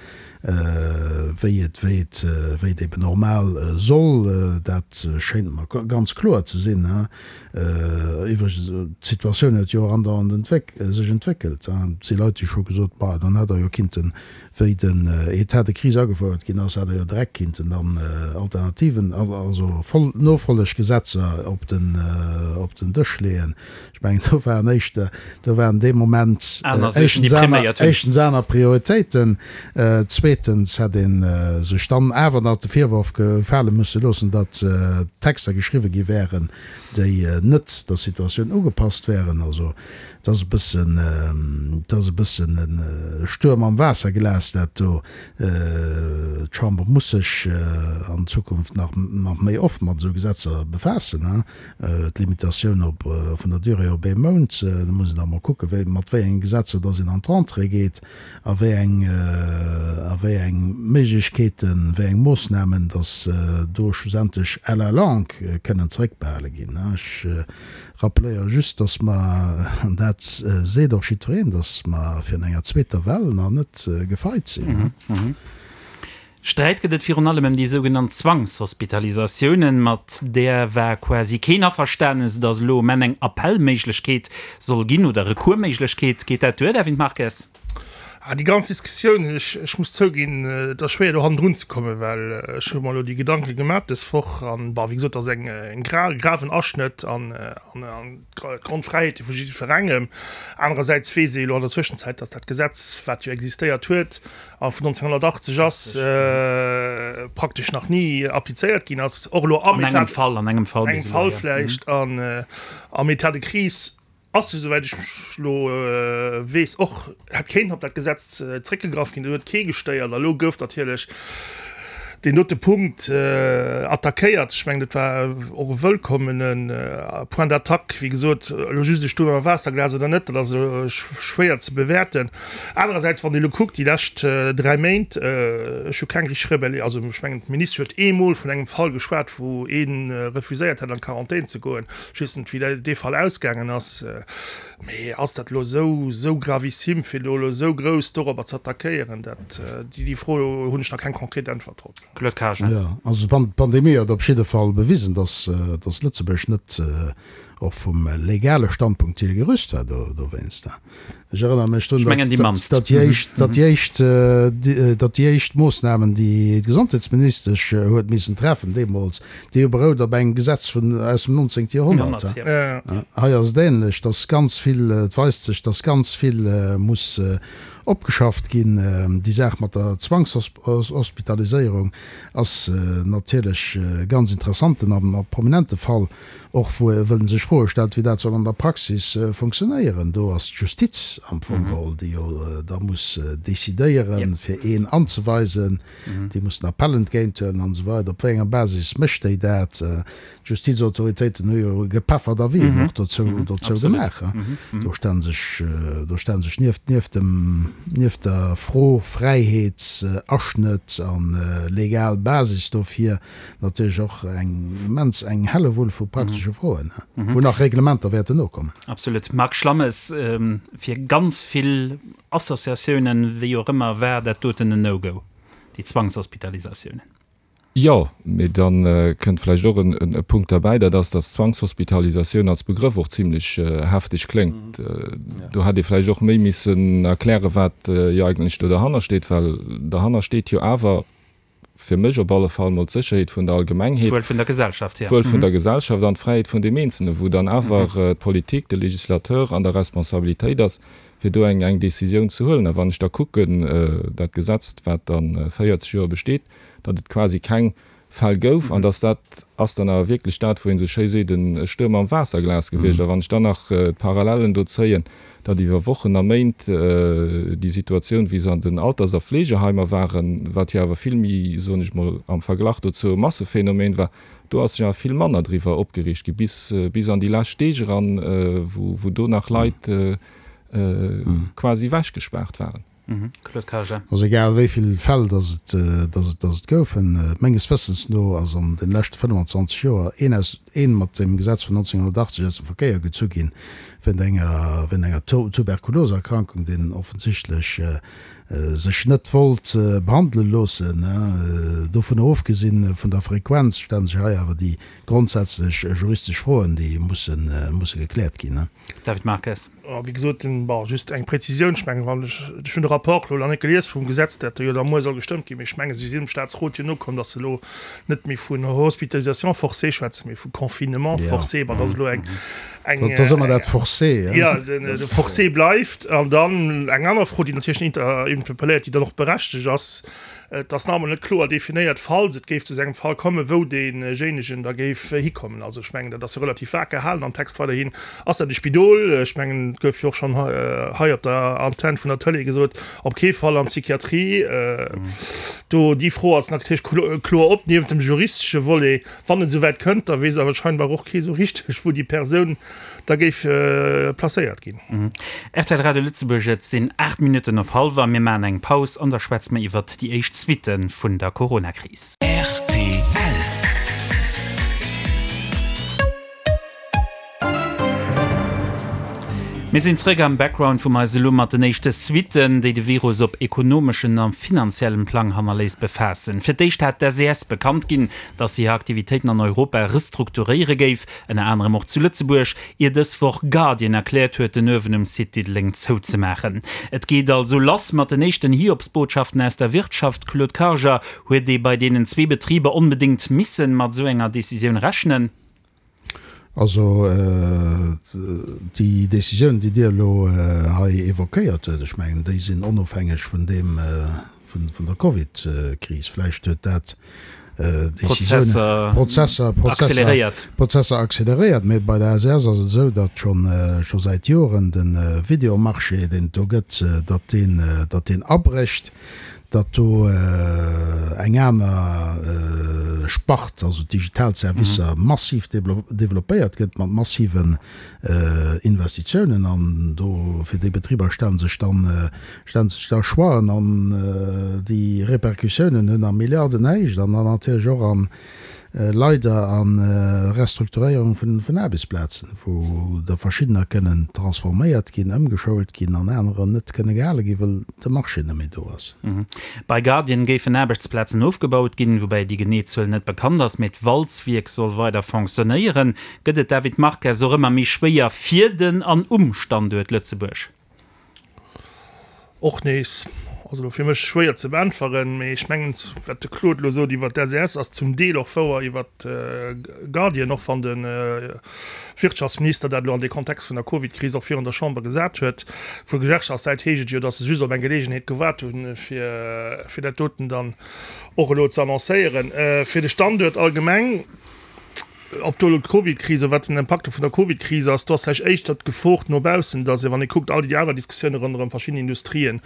Wéi et, wéi et, wéi et eben normal soll. Dat schéint mer ganz kloer ze sinn. Iwwregens, d'Situatioun huet jo och andauernd entwéck, sech entwéckelt. Et si Leit, déi scho gesot, Bah, dann hätt Der jo kinnten, wéi den État de crise agefouert ginn ass, hätt Der jo direkt kinnten dann Alternativen, also Fol-, Nofolleggesetzer op den, op den Dësch leeën. Ech mengen, do waren éischter, do waren dee Moment Aner Suergen, déi éischtens aner, priméiert hunn. éischtens aner Prioritéiten, zweetens hätt ee sech dann awer nach de Virworf gefale musse loossen, datt Texter geschriwwe gi wären, déi net der Situatioun ugepasst wären. Also et ass e bëssen, et ass e bëssen e Stuerm am Waasserglas, dat do. D'Chamber muss sech an Zukunft nach, nach méi oft mat esou Gesetzer befaassen. D'Limitatioun op vun der Durée op ee Mount, do muss een da mol kucken, wéi, mat wéi enge Gesetzer dass een an d'Rentrée geet a wéi eng, a wéi eng Méiglechkeeten, wéi eng Moossnamen dass do schlussendlech à la longue kënnen zeréckbehale ginn. Ech rappeléiere just, dass mer, an dat seet och jiddwereen, dass mer virun enger zweeter Well nach net gefeit sinn. Sträit gëtt et virun allem ëm déi sougenannt Zwangshospitalisatiounen. Mat där war quasi keen averstanen, soudass elo um Enn eng Appellméiglechkeet soll ginn oder Recoursméiglechkeet. Geet dat duer, David Marques? Ah, déi ganz Diskussioun, ech, ech muss zouginn, et ass schwéier do hannendrun ze kommen, well ech hu mer elo déi Gedanke gemaach dës Woch an, bon, wéi gesot, et ass eng, eng gra, graven Aschnëtt an, an, an d'Grondfräiheete vu jiddwerengem. Anerersäits weess ee elo an der Zwëschenzäit, datt dat Gesetz, wat jo existéiert huet, a vun 1980 ass, praktesch nach ni applizéiert ginn ass, och elo am An engem Fall, an engem Fall bis elo, engem Fall vläicht, an am État de crise ass jo, souwäit ech elo weess, och hätt kéinten op dat Gesetz zréckgegraff ginn, do huet kee gestéiert. A elo gouf natierlech deen dote Punkt attackéiert. Ech mengen, dat war och e wëllkommene Point d'attaque. Wéi gesot, elo just e Stuerm am Waasserglas oder net, dat ass elo schwéier ze bewäerten. Anerersäits, wann ee elo kuckt, déi lescht 3 Méint, ech hu keng richteg Rebelli, also ech mengen, d'Ministesch huet eemol vun engem Fall geschwat, wou ee refuséiert hätt, an d'Quarantän ze goen. Ech weess net, wéi dee Fall ausgaangen ass. Mee ass dat elo esou, esou gravissime, fir do elo esou grouss dorobber ze attackéieren? Dat, déi Fro hunn ech nach keng konkret Äntwert drop. Claude Cajen. Jo, also d'Pandemie huet op jidde Fall bewisen, dass Lëtzebuerg net och vum legale Standpunkt hier gerüst war dowéinst. Ech erënnere mech drun, datt déi éischt, datt déi éischt, datt déi éischt Moossnamen, déi d'Gesondheetsministesch huet missen treffen deemools, déi hu berout op engem Gesetz vun, aus dem 19. Joerhonnert. Hei ass et ähnlech, datt ganz vill, et weist sech, datt ganz vill muss opgeschafft ginn. Déi Saach mat der Zwangshospitaliséierung ass natierlech e ganz interessanten a prominente Fall. Och wou en sech Froe stellt, wéi dat soll an der Praxis funktionéieren. Do ass d'Justiz am Fong geholl, déi jo da muss decidéieren, fir een anzeweisen. Déi muss den Appell entgéinthuelen an esou weider. Op wéi enger Basis mécht déi dat? D'Justizautoritéiten hu jo gepeffert Avisen och dozou dozou gemaach. Do stelle sech, do stelle sech nieft, nieft dem, nieft der Fro Fräiheetsaschnëtt a legal Basis dofir, Natierlech och eng immens, eng Hellewull vu praktesche Froen, wou nach Reglementer wäerten nokommen. Absolut. Marc Schlammes, fir ganz vill Associatiounen, wéi och ëmmer, war dat doten en No-Go, déi Zwangshospitalisatiounen. Jo, mee da kënnt vläicht och e Punkt derbäi, dat ass, datt Zwangshospitalisatioun als Begrëff och zimlech hefteg kléngt. Do hätt ee vläicht och méi missen erklären, wat jo eigentlech do derhanner steet, well derhanner steet jo awer, fir mech op alle Fall mol d'Sécherheet vun der Allgemengheet, D'Wuel vun der Gesellschaft, jo. d'Wuel vun der Gesellschaft an d'Fräiheet vun deem Eenzelnen, wou dann awer d'Politik, de Législateur an der Responsabilitéit ass, fir do eng eng Décisioun ze huelen. A wann ech da kucken, dat Gesetz, wat dann 40 Joer besteet, datt et quasi keng Fäll gouf, an datt dat ass dann awer wierklech dat, wou een esou schéi seet, e Stuerm am Waasserglas gewiescht. A wann ech dann nach d'Parallellen do zéien, datt iwwer Wochen a Méint déi Situatioun, wéi se an den Alters a Fleegeheimer waren, wat jo awer vill méi, soen ech mol, am Verglach dozou e Massephenomeen war, do ass sech awer vill manner driwwer opgereegt gi, bis, bis an déi lescht Deeg eran, wou, wou do nach Leit quasi ewechgespaart waren. Claude Karger. Also egal wéi vill Fäll dass et, dass et, dass et goufen, menges Wëssens no ass an den leschte 25 Joer een aus, een mat dem Gesetz vun 1980 aus dem Verkéier gezu ginn, wéint enger, wéint enger Tuberkuloserkrankung, deen offensichtlech sech net wollt behandele loossen. Dovunner ofgesinn vun der Frequenz stellen sech hei awer déi grondsätzlech juristesch Froen, déi musse, musse gekläert ginn. David Marques. Wéi gesot, bon, just eng Prezisioun, Ech mengen, wann ech, ech hunn de Rapport elo nach net gelies vum Gesetz, dat do jo da muer soll gestëmmt ginn, mee ech mengen, si sinn dem Statsrot jo nokomm, datt se elo net méi vun Hospitalisation forcée schwätzen, mee vu Confinement forcé. Bon, dat ass elo eng, eng. Dat ass ëmmer dat forcé, hein. Jo, de forcé bleift. An dann eng aner Fro, déi natierlech interpelléiert, déi dann och berechtegt ass, Et ass nach emol net kloer definéiert, falls et géif zu esou engem Fall kommen, wou deejéinegen da géif hikommen. Also ech mengen, dat ass jo relativ vag gehalen am Text weiderhin. Ass dat e Spidol? Ech mengen, et gouf jo och schonn hei op der Antenn vun der Tëlee gesot, op kee Fall an d'Psychiatrie. Do, déi Fro ass natierlech kloer op. Niewent dem juristesche Volet, wann et esou wäit kënnt, da weess awer scheinbar och kee sou richteg, wou déi Persoun da géif placéiert ginn. Rtl Radio Lëtzebuerg, Et sinn 8 Minutten op hallwer. Mir maachen eng Paus an da schwätze mer iwwert déi éischt Suitte vun der Coronakris. Rtl. Mir sinn zréck am Background, wou mer eis elo mat den éischte Suitten, déi de Virus op ekonomeschen a finanziellem Plang hannerléisst, befaassen. Fir d'éischt hat d'SES bekannt ginn, datt se hir Aktivitéiten an Europa restrukturéiere géif. Ënner anerem och zu Lëtzebuerg, ier dës Woch Guardian erkläert huet, den Uewen um Site Diddeleng zouzemaachen. Et geet also lass mat den éischten Hiobsbotschaften aus der Wirtschaft. Claude Karger, huet ee bei deenen zwee Betriber onbedéngt missen mat esou enger Decisioun rechnen? Also déi Decisiounen, déi Dir elo hei évoquéiert huet, ech mengen, déi sinn onofhängeg vun deem, vun der Covid-Kris. Vläicht huet dat Décisiounen, Prozesser, Prozesser, Prozesser acceleréiert. Mee bei der SRS ass et esou, datt schonn, scho säit Joren de Videomarché, deen et do gëtt, datt deen, datt deen abrécht, datt do eng aner Spart, also d'digital Servicer, massiv developpéiert gëtt mat massiven Investitiounen. An do, fir déi Betriber stelle sech dann, stellen sech da Choixen an déi Repercussiounen hunn a Milliardenhéicht an dann natierlech och an, leider a Restrukturéierung vun Aarbechtsplazen, wou der verschiddener kënnen transforméiert ginn, ëmgeschoult ginn an anerer net kënne gehale ginn, well de Marché net méi do ass. Bei Guardian géifen Aarbechtsplazen ofgebaut ginn, woubäi déi genee Zuel net bekannt ass, mee d'Walzwierk soll weider fonctionnéieren. Gëtt et, David Marques, och ëmmer méi schwéier fir den an um Standuert Lëtzebuerg? Och nees, also elo fir mech schwéier ze beäntweren, mee ech mengen, wat de Claude elo sot iwwert d'SES ass zum Deel och wouer iwwert Guardian, och wann de Wirtschaftsminister dat elo an dee Kontext vun der Covidkris och virun der Chamber gesat huet. Vu Gewerkschaftssäit heescht et jo, datt se just op eng Geleegenheet gewaart hunn, fir fir dat doten dann och elo ze annoncéieren. Fir de Standuert allgemeng, Ob do elo d'Covidkris a wat den Impakt vun der Covidkris ass, do ass vläicht éischter d'Gefor no baussen, datt ee wann ee kuckt all déi aner Diskussioune ronderëm verschidden Industrien,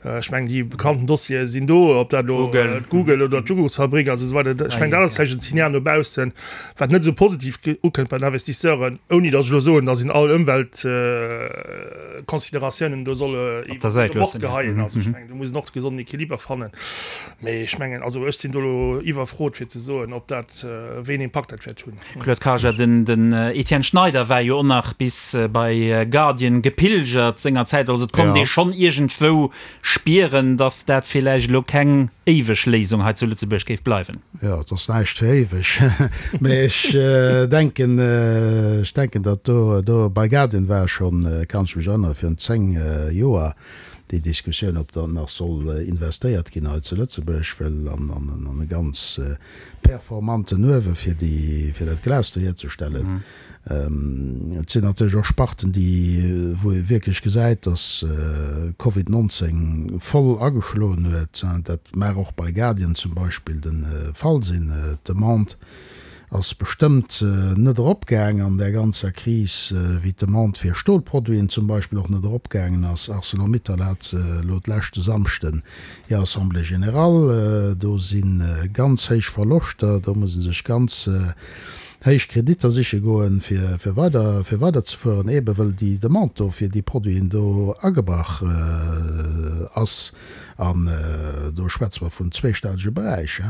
ech mengen déi bekannten Dossiere sinn do, ob dat elo d'Google oder d'Jugurtsfabrik ass esou weider, ech mengen dat ass vläicht en Signal no baussen, wat net esou positiv ukënnt bei den Investisseuren, ouni datt ech elo soen, datt een all Ëmweltconsideratiounen do soll iwwer Bord geheien. Also ech mengen do muss een och de gesonden Equiliber fannen. Mee ech mengen, also ech sinn do elo iwwerfrot fir ze soen, ob dat, wéi een Impakt dat wäert hunn. Claude Karger, Den Etienne Schneider war jo och nach bis bei Guardian gepilgert sengerzäit. Also et konnt ee schonn iergendwou spieren, datt dat villäicht elo keng éiweg Léisung hei zu Lëtzebuerg géif bleiwen. Jo, et ass näischt fir éiweg. Mee ech denken, ech denken, datt do, do bei Guardian war schonn, kann ech mech erënneren, virun 10 Joer, déi Diskussioun, ob dann nach soll investéiert ginn hei zu Lëtzebuerg, well an e ganz performanten Uewe fir déi, fir dat Glas do hierzestellen. Et sinn natierlech och Sparten, déi, wou ee wierklech gesäit, datt Covid 19 voll ageschloen huet. Dat mag och bei Guardian zum Beispill de Fall sinn. D'Demande ass bestëmmt net eropgaang an där ganzer Kris, wéi d'Demande fir Stolproduiten zum Beispill och net eropgaangen ass. Arcelor-Mittal hat elo d'leschte Samschden hir Assemblée générale. Do si ganz héich Verloschter, do muss ee sech ganz. héich Kreditter siche goen, fir fir weider fir weiderzefueren, eebe wëll déi Demande do fir déi Produiten do agebrach ass. An do schwätze mer vun zweestellege Beräich.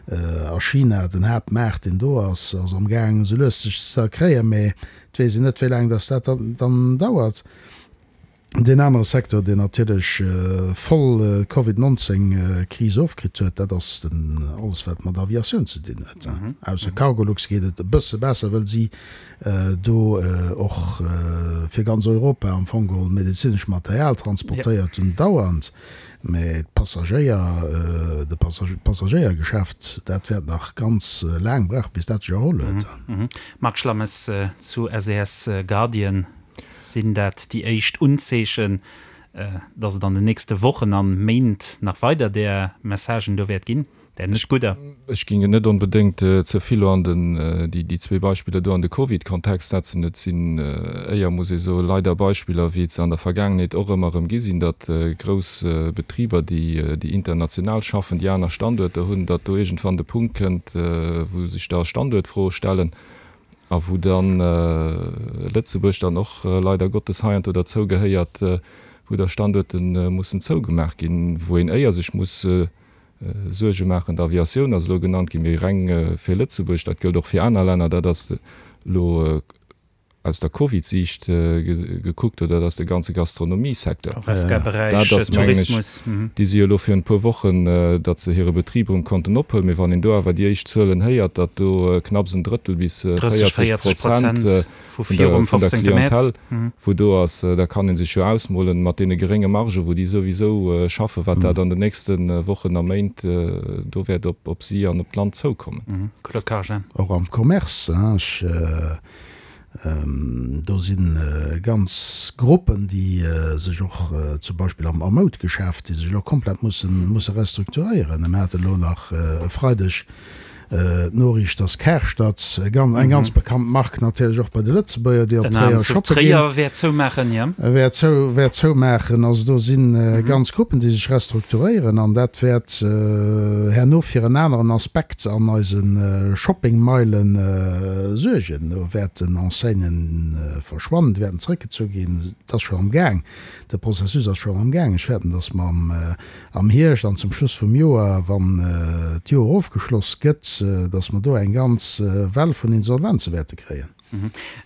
A China, den Haaptmaart, deen do ass, ass amgaang esou lues sech ze erkréien, mee et weess een net, wéi laang dass dat dann dauert. Deen anere Secteur, deen natierlech voll d'Covid 19 Kris ofkritt huet, dat ass den alles wat mat Aviatioun ze dinn huet. Ausser Cargolux geet et e bësse besser, wëll si do och fir ganz Europa am Fong geholl medezinesch Material transportéiert hunn dauernd. Mä d'Passagéier, de Passagéiergeschäft, dat wäert nach ganz laang brauchen, bis dat sech erholl huet. Marc Schlammes zu SAS Guardian. Sinn dat déi éischt Unzeechen, datt et an den nächste Wochen an Méint nach weider där Messagen do wäert ginn, där net gudder? Ech géing et net onbedéngt ze vill elo an den, déi zwee Beispiller do an de Covid-Kontext setzen. Et sinn éier, muss ee soen, leider Beispiller, wéi et se an der Vergaangenheet och ëmmer erëm gi sinn, datt grouss Betriber, déi international schaffen, déi aner Standuerter hunn, datt do iergendwann de Punkt kënnt, wou sech da Standuertfroe stellen. A wou dann Lëtzebuerg dann och leider Gottes heiansdo derzou gehéiert, wou da Standuerte mussen zougemaach ginn, wou een éier sech muss Suerge maachen. D'Aviatioun ass elo genannt ginn, mee reng fir Lëtzebuerg, dat gëllt och fir aner Länner, dat ass elo aus der Covid-Siicht gekuckt, oder dat ass de ganze Gastronomiesecteur. Horesca-Beräich, Dat ass, mengen ech, Tourismus. déi si jo elo virun e puer Wochen, datt se hire Betrib erëm konnten ophuelen. Mee wann een do awer déi éischt Zuelen héiert, datt do knapps en Drëttel bis 30, 40 40 Prozent Prozent vu vun der, virum vun der 15. Mäerz. Clientèle wou do ass, da kann ee sech jo ausmolen, mat deene gerénge Margen, wou déi souwisou schaffen, wat dat an den nächste Wochen a Méint do wäert op, op si an op d'Land zoukommen. Claude Karger. Och am Commerce, hein, ech Do si ganz Gruppen, déi sech och zum Beispill am Moudgeschäft, déi sech elo komplett musse restrukturéieren. Mir hate elo nach e Freideg d'Noriicht, dass Karstadt, eng ganz bekannt Mark natierlech och bei de Lëtzebuerger, déi op Tréier shoppe ginn, wäert zoumaachen, wäert zoumaachen. Also do si ganz Gruppen, déi sech restrukturéieren an dat wäert herno fir en aneren Aspekt an eise Shoppingmeilen suergen. Do wäerten Enseignen verschwannen, déi wäerten zeréckgezu ginn. Et ass scho am Gaang, de Processus ass scho am Gaang. Ech fäerten, datt mer am Hierscht an zum Schluss vum Joer, wann d'Joer ofgeschloss gëtt, datt mer do eng ganz Well vun Insolvenze wäerte kréien.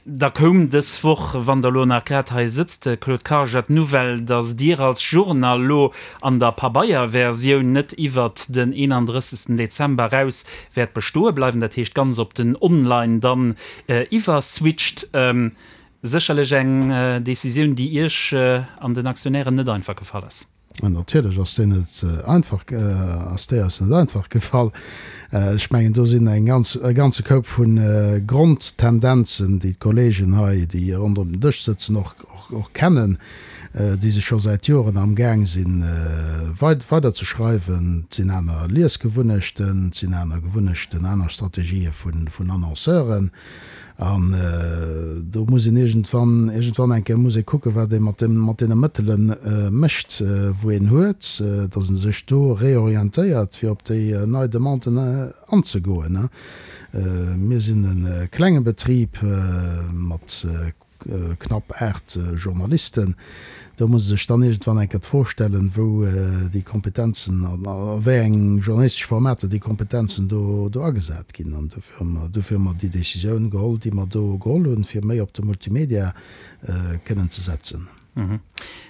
Da koum dës Woch, wann Der elo nach grad hei sëtzt, Claude Karger, d'Nouvelle, datt Dir als Journal elo an der Pabeierversioun net iwwert den 31. Dezember eraus wäert bestoe bleiwen, dat heescht ganz op den Online dann iwwerswitcht. Sécherlech eng Decisioun, déi Iech an den Aktionären net einfach gefall ass. Natierlech ass déi net einfach, ass déi eis net einfach gefall. Ech mengen, do sinn eng ganz, e ganze Koup vu Grondtendenzen, déi d'Kolleegen hei, déi ronderëm den Dësch sëtzen, och, och kennen, déi sech scho säit Joren amgaang sinn, weiderzeschreiwen. Et sinn aner Liesgewunnechten, et sinn aner Gewunnechten, aner Strategië vun Annonceuren. An do muss een iergendwann, iergendwann eng Kéier muss ee kucken, wat ee mat deem, mat deene Mëttele mécht, wou een huet, datt e sech do reorientéiert, fir op déi nei Demanden anzegoen. Mir sinn e klenge Betrib mat knapp 8 Journalisten. Do muss e sech dann iergendwann eng Kéier d'Fro stellen, wou déi Kompetenzen an a wéi eng journalistesch Formater déi Kompetenzen do do agesat ginn. An dofir hu mer, dofir hu mer déi Décisioun geholl, déi mer do geholl hunn, fir méi op de Multimedia kënnen ze setzen.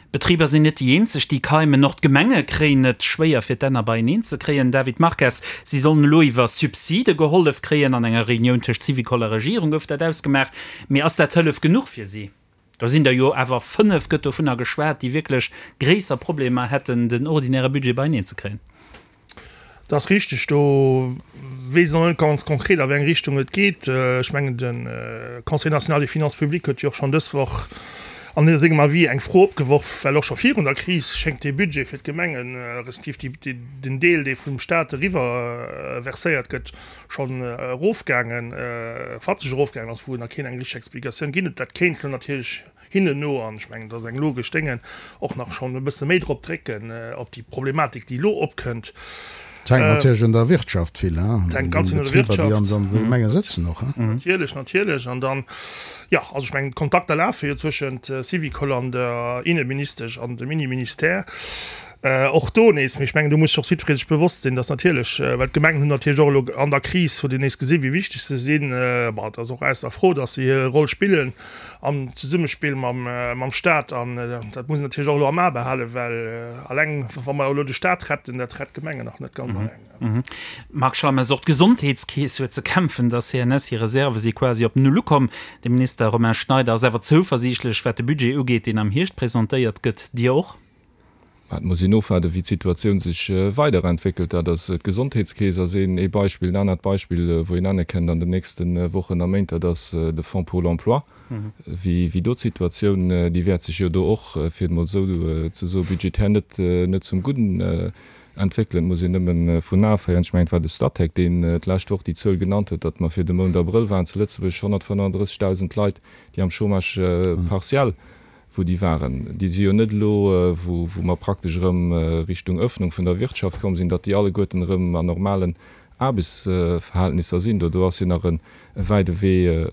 D'Betriber sinn net déi eenzeg, déi keimen. Och d'Gemenge kréien et schwéier, fir d'Enner beieneen ze kréien. David Marques, Si sollen elo iwwer Subside gehollef kréien. An enger Reunioun tëscht Syvicol a Regierung gouf dat ausgemaach. Mee ass dat Hëllef genuch fir si? Do sinn der jo awer 5, gëtt dovunner geschwat, déi wierklech gréisser Problemer hätten, den ordinäre Budget beieneen ze kréien. Dat ass richteg. Do weess een och net ganz konkret, a wéi eng Richtung et geet. Ech mengen, de Conseil national des finances publiques huet jo och schonn dës Woch an sengem Avis eng Fro opgeworf, well och scho virun der Kris schéngt dee Budget fir d'Gemengen, respektiv den Deel, dee vum Stat eriwwer verséiert gëtt, schonn erofgaangen, fatzeg erofgaangen ass, wou nach keen eng richteg Explikatioun ginn huet. Dat kéint elo natierlech hinnen no, an ech mengen, dat ass eng logesch Dénge, och nach schonn e bësse méi drop drécken, op déi Problematik, déi elo opkënnt. Et hänkt natierlech un der Wirtschaft vill, hein, Et hänkt ganz vill un der Wirtschaft. Déi an de Gemenge sëtzen och, hein. Natierlech, natierlech. An dann, jo, also ech mengen, d'Kontakter lafe jo zwëschent Syvicol an der Inneministesch an dem Inneministère. Och do nees, mee ech mengen, do muss sech och jiddweree sech bewosst sinn, dass natierlech, well d'Gemengen hunn natierlech och elo an der Kris, huet een nees gesinn, wéi wichteg se sinn. Bon, et ass och ausser Fro, dass se hir Roll spillen am Zesummespill mam Stat. An dat muss een natierlech och elo am A behalen, well alleng, wa mer elo de Stat retten, dat rett d'Gemengen nach net ganz alleng. Marc Schammes, Och d'Gesondheetskeess huet ze kämpfen. Der CNS hir Reserve si quasi op Null ukomm. De Minister Romain Schneider ass awer zouversiichtlech, wat de Budget ugeet, deen am Hierscht presentéiert gëtt. Dir och? Mä et muss een ofwaarden, wéi d'Situatioun sech weiderentwéckelt. Dat ass, d'Gesondheetskeess ass een ee Beispill. En anert Beispill, wou een nenne kënnt an den nächste Wochen a Méint, dat ass de Fonds pour l'emploi. Wéi do d'Situatioun, déi wäert sech jo do och, fir et emol esou ze soen, budgetär net net zum Gudden entwéckelen. Et muss een nëmme vun aféieren, ech mengen, et war de Statec, deen d'lescht Woch déi Zuel genannt huet, datt mer fir de Mount Abrëll waren zu Lëtzebuerg 135.000 Leit, déi am Chômage partiel wou déi waren, déi si jo net elo, wou mer praktesch erëm Richtung Öffnung vun der Wirtschaft komm sinn, datt déi alleguerten erëm an normalen Aarbechtsverhältnisser sinn. Do ass jo nach e wäide Wee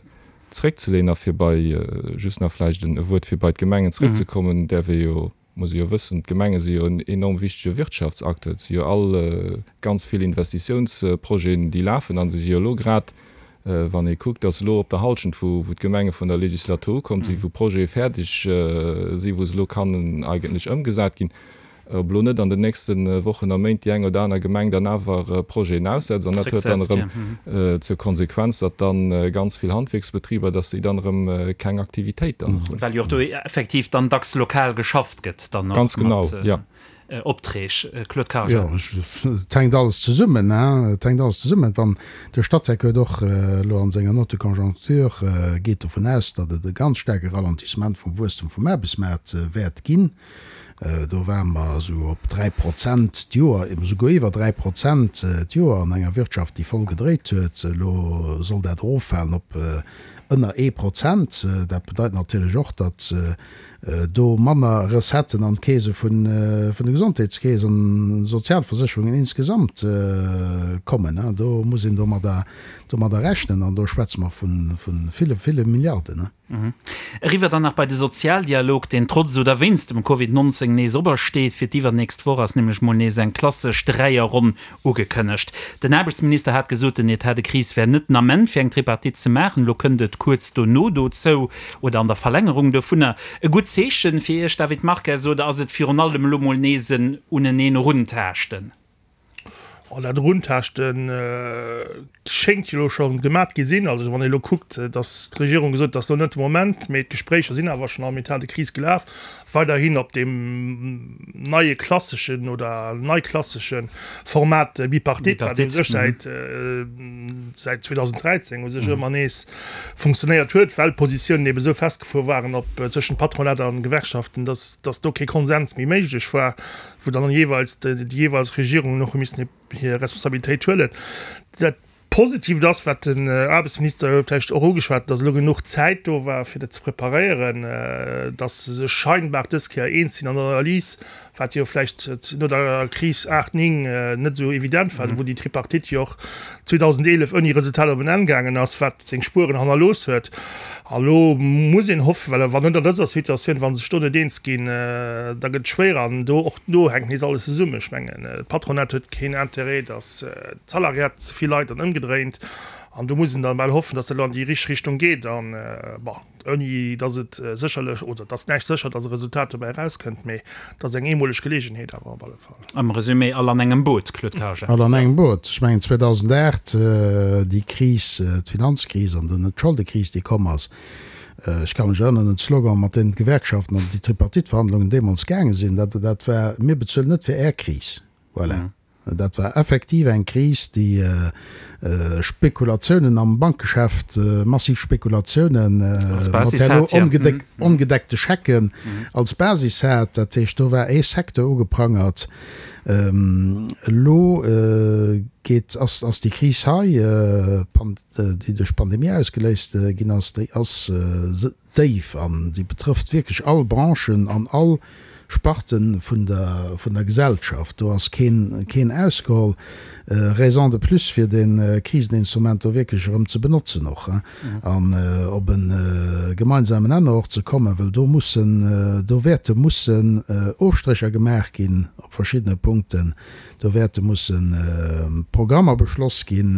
zréckzeleeën. A fir bei, just nach vläicht e Wuert, fir bei d'Gemengen zréckzekommen, däerf ee jo, muss ee jo wëssen, d'Gemenge si jo en enorm wichtege Wirtschaftsacteur. Et si jo all ganz vill Investitiounsprojeten, déi lafen, a se si jo elo grad Wann ee kuckt, dass elo op der Halschent, wou d'Gemenge vun der Legislatur ukomm sinn, wou Projete fäerdeg sinn, wou se elo kannen eigentlech ëmgesat ginn, ob elo net an den nächste Wochen a Méint déi eng oder aner Gemeng dann awer Projeten aussetzt. An dat huet dann erëm zur Konsequenz, datt dann ganz vill Handwierksbetriber, datt déi dann erëm keng Aktivitéit dann hunn. Well jo och do effektiv dann dacks lokal geschafft gëtt dann och. Ganz genau, jo. Opträg, Claude Karger. Jo, et hänkt alles zesummen, hein, et hänkt alles zesummen. Wann de Statec huet och elo an senger Note de conjoncture, geet dovun aus, datt et e ganz staarke Ralentissement vum Wuesstem vum Aarbechtsmaart wäert ginn. Do ware mer esou op 3 Prozent d'Joer, esouguer iwwer 3 Prozent d'Joer an enger Wirtschaft, déi voll gedréit huet. Elo soll dat eroffalen op ënner ee Prozent. Dat bedeit natierlech och, datt do manner Recetten an d'Keese vun de Gesondheetskeess an Sozialversécherungen insgesamt kommen. Do muss een domadder rechnen an do schwätze mer vu ville, ville Milliarden. Eriwwer dann nach bei de Sozialdialog, deen trotz oder wéinst dem Covid 19 nees opersteet. Fir d'iwwernächst Woch ass nämlech mol nees eng klassesch Dräierronn Ugekënnegt. Den Aarbechtsminister hat gesot, den Etat de crise wär net den Ament fir eng Tripartite ze maachen. Elo kënnt et kuerz dono dozou oder an der Verlängerung dovunner. E gutt Zeechen fir Iech, David Marques, oder ass et virun allem elo mol nees en uneneen Eruntaaschten? Oh, dat Eruntaaschte schéngt jo elo scho gemat gi sinn. Also wann ee elo kuckt, datt d'Regierung gesot huet, et ass elo net de Moment, mee d'Gespréicher sinn awer schonn am Etat de crise gelaf. Weiderhin op deem neie klasseschen oder neiklassesche Format Bipartite, wat u sech säit säit 2013 u sech ëmmer nees funktionéiert huet, well d'Positiounen ebe sou festgefuer waren op tëschent Patronat a Gewerkschaften, dass dass do kee Konsens méi méiglech war, wou dann jeeweils déi jeeweils Regierungen och hu missen hir Responsabilitéit huelen. Dat Positiivt ass, wat den Aarbechtsminister vläicht och ugeschwat huet, dass elo genuch Zäit do war, fir dat ze preparéieren, dass se sech scheinbar dës Kéier eens sinn an der Analys, wat jo vläicht no der Kris 8, 9 net esou evident war, wou déi Tripartite jo och 2011 ouni Resultat op en Enn gaangen ass, wat seng Spueren hannerlooss huet. A lo muss een hoffen, well wann net an dëser Situatioun, wa se sech do net eens ginn, da gëtt et schwéier. An do, och do hänkt nees alles zesummen. Ech mengen, d'Patronat huet keen Interêt, dass D'Salariat ze vill Leit an ëmgedréint. An do muss een dann bal hoffen, dass dat elo an déi richteg Richtung geet. An, bon, ouni dass et sécherlech, oder et ass näischt sécher, dass e Resultat dobäi erauskënnt, mee et ass eng eemoleg Geleegenheet awer op alle Fall. Am Resumé, all an engem Boot, Claude Karger. All an engem Boot. Ech mengen 2008, déi Kris, d'Finanzkris an dunn d'Scholdekris, déi komm ass, ech ka mech erënneren un d'Slogan, mat deenen d'Gewerkschaften an déi Tripartite-Verhandlungen deemools gaange sinn, dat, dat war, Mir bezuelen net fir Är Kris. Voilà. Dat war effektiv eng Kris, déi Spekulatiounen am Bankgeschäft, massiv Spekulatiounen mat herno ongedeckte Schecken als Basis hat. Dat heescht, do war ee Secteur ugeprangert. Elo geet, ass, ass déi Kris hei, déi duerch d'Pandemie ausgeléist ginn ass, déi ass déif an déi betrëfft wierklech all Branchen an all Sparte vun der, vun der Gesellschaft. Do ass keen, keen ausgeholl. Raison de plus fir dee Kriseninstrument do wierklech erëm ze benotzen och an op e gemeinsamen Nenner och ze kommen, well do mussen, do wäerte mussen Ofstrécher gemaach ginn op verschiddene Punkten. Do wäerte musse Programmer beschloss ginn,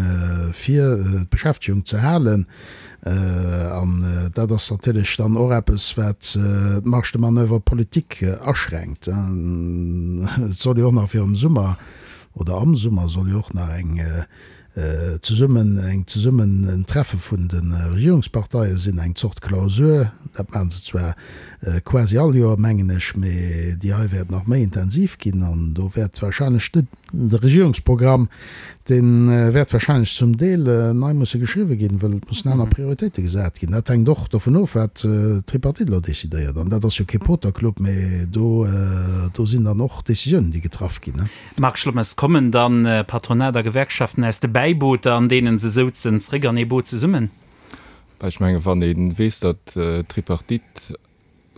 fir d'Beschäftegung ze halen. An dat ass natierlech dann och eppes, wat d'Marge de manoeuvre politique aschränkt. Et soll jo och nach virum Summer oder am Summer soll jo och nach eng zesummen, eng zesummen en Treffe vun de Regierungsparteie sinn, eng Zort Klausur. Dat maache se zwar quasi all Joer, mengen ech, mee déi hei wäert nach méi intensiv ginn an do wäert wahrscheinlech de Regierungsprogramm, dee wäert wahrscheinlech zum Deel nei musse geschriwwe ginn, well et mussen aner Prioritéite gesat ginn. Dat hänkt och dovun of, wat d'Tripartite elo decidéiert. An dat ass jo kee Poterclub, mee do, do sinn dann och Décisiounen, déi getraff ginn. Marc Schlommes, Kommen dann Patronat a Gewerkschaften aus de Bäibooter, an deenen se souzen, zréck an ee Boot zesummen? Ech menge wann ee weess, datt d'Tripartite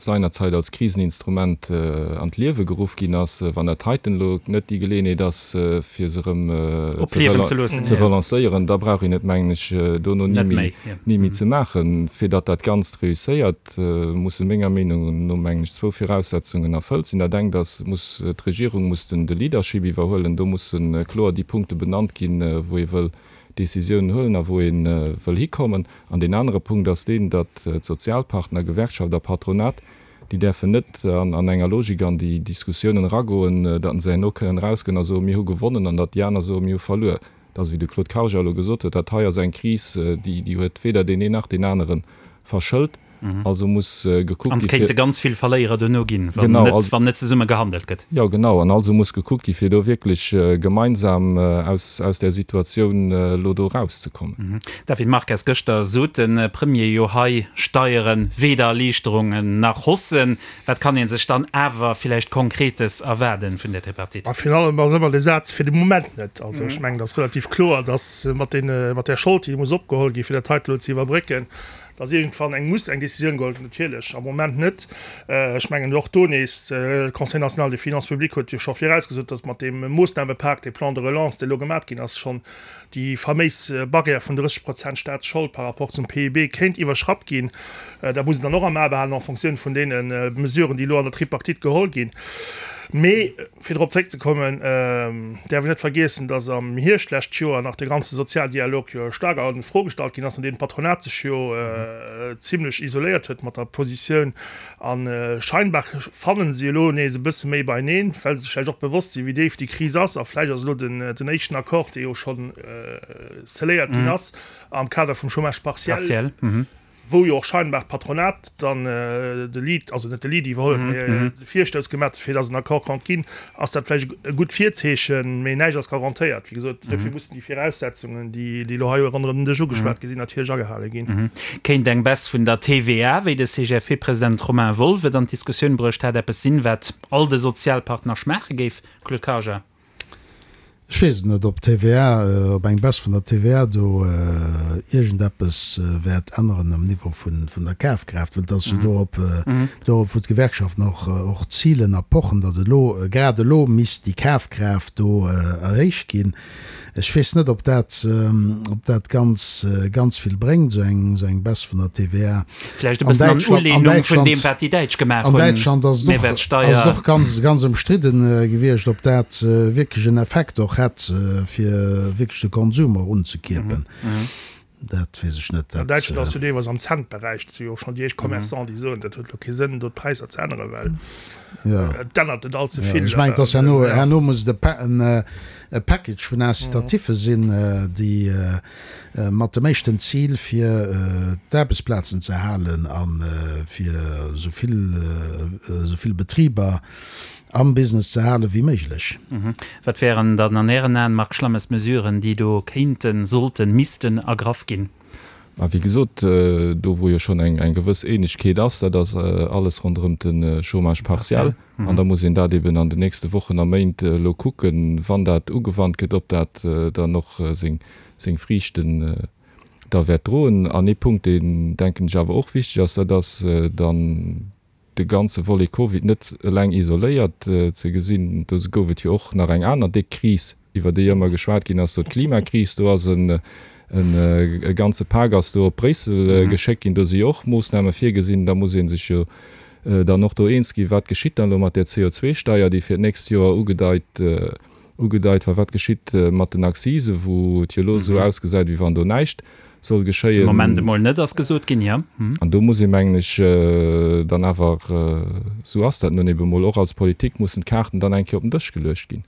seinerzeit als Kriseninstrument an d'Liewe geruff ginn ass, wann dat heiten elo net déi Geleeënheet ass, fir se erëm ze relancéieren, da brauch een et, mengen ech, dono ni méi ze maachen. Fir datt dat Ganzt reusséiert, musse menger Meenung no, mengen ech, zwou Viraussetzungen erfëllt sinn. Dat engt ass, muss d'Regierung muss den de Leadership iwwerhuelen. Do musse kloer déi Punkte benannt ginn, wou ee wëll Décisiounen huelen a wou ee wëll hikommen. An deen anere Punkt ass deen, datt d'Sozialpartner, Gewerkschaft a Patronat, déi däerfen net an enger Logik an déi Diskussiounen eragoen, datt se herno kënnen erausgoen a soen, mir hu gewonnen, an datt déi aner soen, mir hu verluer. Et ass, wéi de Claude Karger elo gesot huet, dat hei ass eng Kris, déi huet weder deen een nach deen anere verschëlt. Also muss gekuckt gi fir. An et kéinte ganz vill Verléierer duerno ginn, wann net zesumme gehandelt gëtt. Jo, genau. An also muss gekuckt gi fir do wierklech gemeinsam aus där Situatioun elo do erauszekommen. David Marques, Gëschter sot de Premier jo hei, Steieren, weder Erliichterungen nach Haussen. Wat kann ee sech dann awer villäicht Konkretes erwaarden vun der Tripartite? A virun allem ass ëmmer de Saz, fir de Moment net. Also ech mengen, et ass relativ kloer, datt mat deene, mat där Schold, déi muss opgeholl ginn, fir dat heite elo ze iwwerbrécken, datt iergendwann eng muss eng Décisioun geholl ginn. Natierlech am Moment net. Ech mengen och do nees, de Conseil national des finances publiques huet jo scho virausgesot, datt mat deem Moossnamepak, dee Plan de relance, dee elo gemat ginn ass, schonn déi faméis Barrière vun 30 Prozent Staatsschold par rapport zum PIB kéint iwwerschratt ginn. Dat muss een dann och am A behalen en Fonctioun vun deene Mesuren, déi elo an der Tripartite geholl ginn. Mee fir drop zréckzekommen, däerf een net vergiessen, datt am Hierscht d'lescht Joer nach de ganze Sozialdialog jo staark a Fro gestallt ginn ass, an deem d'Patronat sech jo zimlech isoléiert huet mat der Positioun, A scheinbar fannen se elo nees e bësse méi beieneen, well se sech vläicht och bewosst sinn, wéi déif déi Kris ass. A vläicht ass elo den éischten Accord, dee jo schonn scelléiert ginn ass am Kader vum Chômage partiel, wou jo och scheinbar d'Patronat dann de Lead, also net de Lead iwwerholl huet, mee de Virstouss gemaach huet, fir datt en Accord konnt ginn, ass dat vläicht e gutt Virzeechen, mee näischt ass garantéiert. Wéi gesot, dofir mussen déi Viraussetzungen, déi elo hei ronderëm den Dësch ugeschwat gi sinn, natierlech agehale ginn. Kéint eng Baisse vun der TVA, wéi de CGFP-President Romain Wolff et an d'Diskussioun bruecht hat, eppes sinn, wat all de Sozialpartner schmaache géif? Claude Karger. Ech weess et net, ob d'TVA, ob eng Baisse vun der TVA do iergendeppes wäert änneren um Niveau vun der Kafkraaft, well et ass jo dorop, dorop wou d'Gewerkschaften och, och zilen a pochen, datt elo, grad elo misst déi Kafkraaft do erhéicht ginn. Ech weess net, ob dat, ob dat ganz, ganz vill bréngt, esou eng, esou eng Baisse vun der TVA. Vläicht e bëssen an Ulehnung vun deem, wat déi Däitsch gemaach hunn, An Däitschland ass et och, ass et och ganz, ganz ëmstridden gewiescht, ob dat wierklech en Effekt och hätt, fir wierklech de Konsum och unzekierpen. Dat weess ech net. An Däitschland ass jo deelweis am Cent-Beräich, et si jo och schonn déi éischt Commerçanten, déi soen, dat huet elo kee Sënn, do d'Präisser ze änneren, well et ännert net all ze vill. Ech mengen, et ass herno, herno muss et e Package vun Incitatiffe sinn, déi mat dem éischten Zil, fir d'Aarbechtsplazen ze erhalen a fir esou vill, esou vill Betriber am Business ze hale wéi méiglech. Wat wären dann an Ären Aen, Marc Schlammes, Mesuren, déi do kéinten, sollten, missten ergraff ginn? Mä wéi gesot, do wou jo schonn eng gewëss Eenegkeet ass, dat ass alles ronderëm de Chômage partiel. An da muss een dat eben an den nächste Wochen a Méint elo kucken, wann dat ugewannt gëtt, ob dat dann och seng Friichten da wäert droen. An ee Punkt, deen, denken ech, awer och wichteg ass, dat ass dann de ganze Volet Covid net eleng isoléiert ze gesinn. Do gouf et jo och nach eng aner déck Kris, iwwer déi ëmmer geschwat ginn ass, do d'Klimakris. Do ass e ganze Pak ass do op Bréissel geschéckt ginn. Do si jo och Moossname virgesinn. Da muss ee sech jo dann och do eens ginn, wat geschitt dann elo mat där CO2-Steier, déi fir d'nächst Joer ugedeit ugedeit war, wat geschitt mat den Accisen, wou et jo elo esou ausgesäit, wéi wann do näischt soll geschéien. De Moment emol net, ass gesot ginn, jo. An do muss ee, mengen ech, dann awer, esou ass dat nun ebe mol och als Politik, mussen d'Kaarten dann eng Kéier op den Dësch geluecht ginn.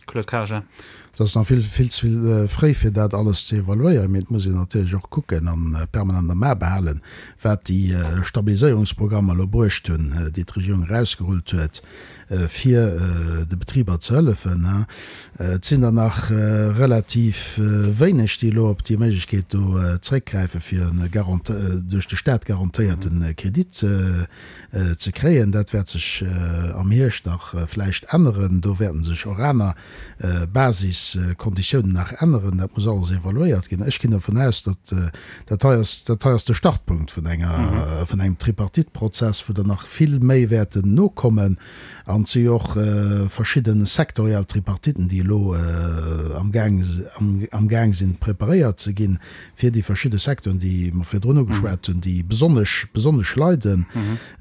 Claude Karger. Et ass nach vill, vill ze vill fréi, fir dat alles ze evaluéieren, mee et muss een natierlech och kucken a permanent am A behalen, wat déi Stabiliséierungsprogrammer elo bruecht hunn, déi d'Regierung erausgerullt huet, fir de Betriber ze hëllefen. Et sinn der nach relativ wéineg, déi elo op déi Méiglechkeet do zréckgräifen, fir e duerch de Staat garantéierte Kredit ze kréien. Dat wäert sech am Hierscht nach vläicht änneren. Do wäerten sech och aner Basiskonditiounen nach änneren. Dat muss alles evaluéiert ginn. Ech ginn dervun aus, datt dat hei ass, dat hei ass de Startpunkt vun enger, vun engem Tripartite-Prozess, wou der nach vill méi wäerten nokommen. An et si jo och verschidde sektoriell Tripartiten, déi elo amgaang, amgaang sinn preparéiert ze ginn, fir déi verschidde Secteuren, déi mer virdrun ugeschwat hunn, déi besonnesch, besonnesch leiden.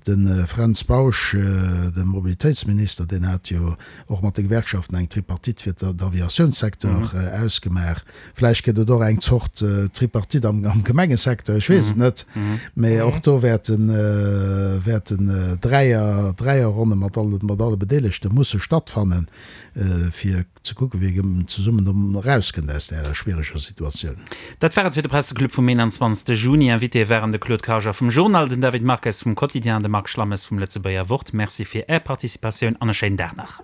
De Fränz Bausch, de Mobilitéitsminister, deen hat jo och mat de Gewerkschaften eng Tripartite fir d'Aviatiounssecteur ausgemaach. Vläicht gëtt et och eng Zort Tripartite am Gemengesecteur, ech weess et net. Mä och do wäerten, wäerten Dräier, Dräierronne mat alle, mat alle Bedeelegte musse stattfannen, fir ze kucken, wéi ee zesummen do erauskënnt aus där schwiereger Situatioun. Dat war et fir de Presseclub vum 21. Juni. Invitéë waren de Claude Karger vum Journal, den David Marques vum Quotidien an de Marc Schlammes vum Lëtzebuerger Wort. Merci fir Är Participatioun an e schéinen Dag nach.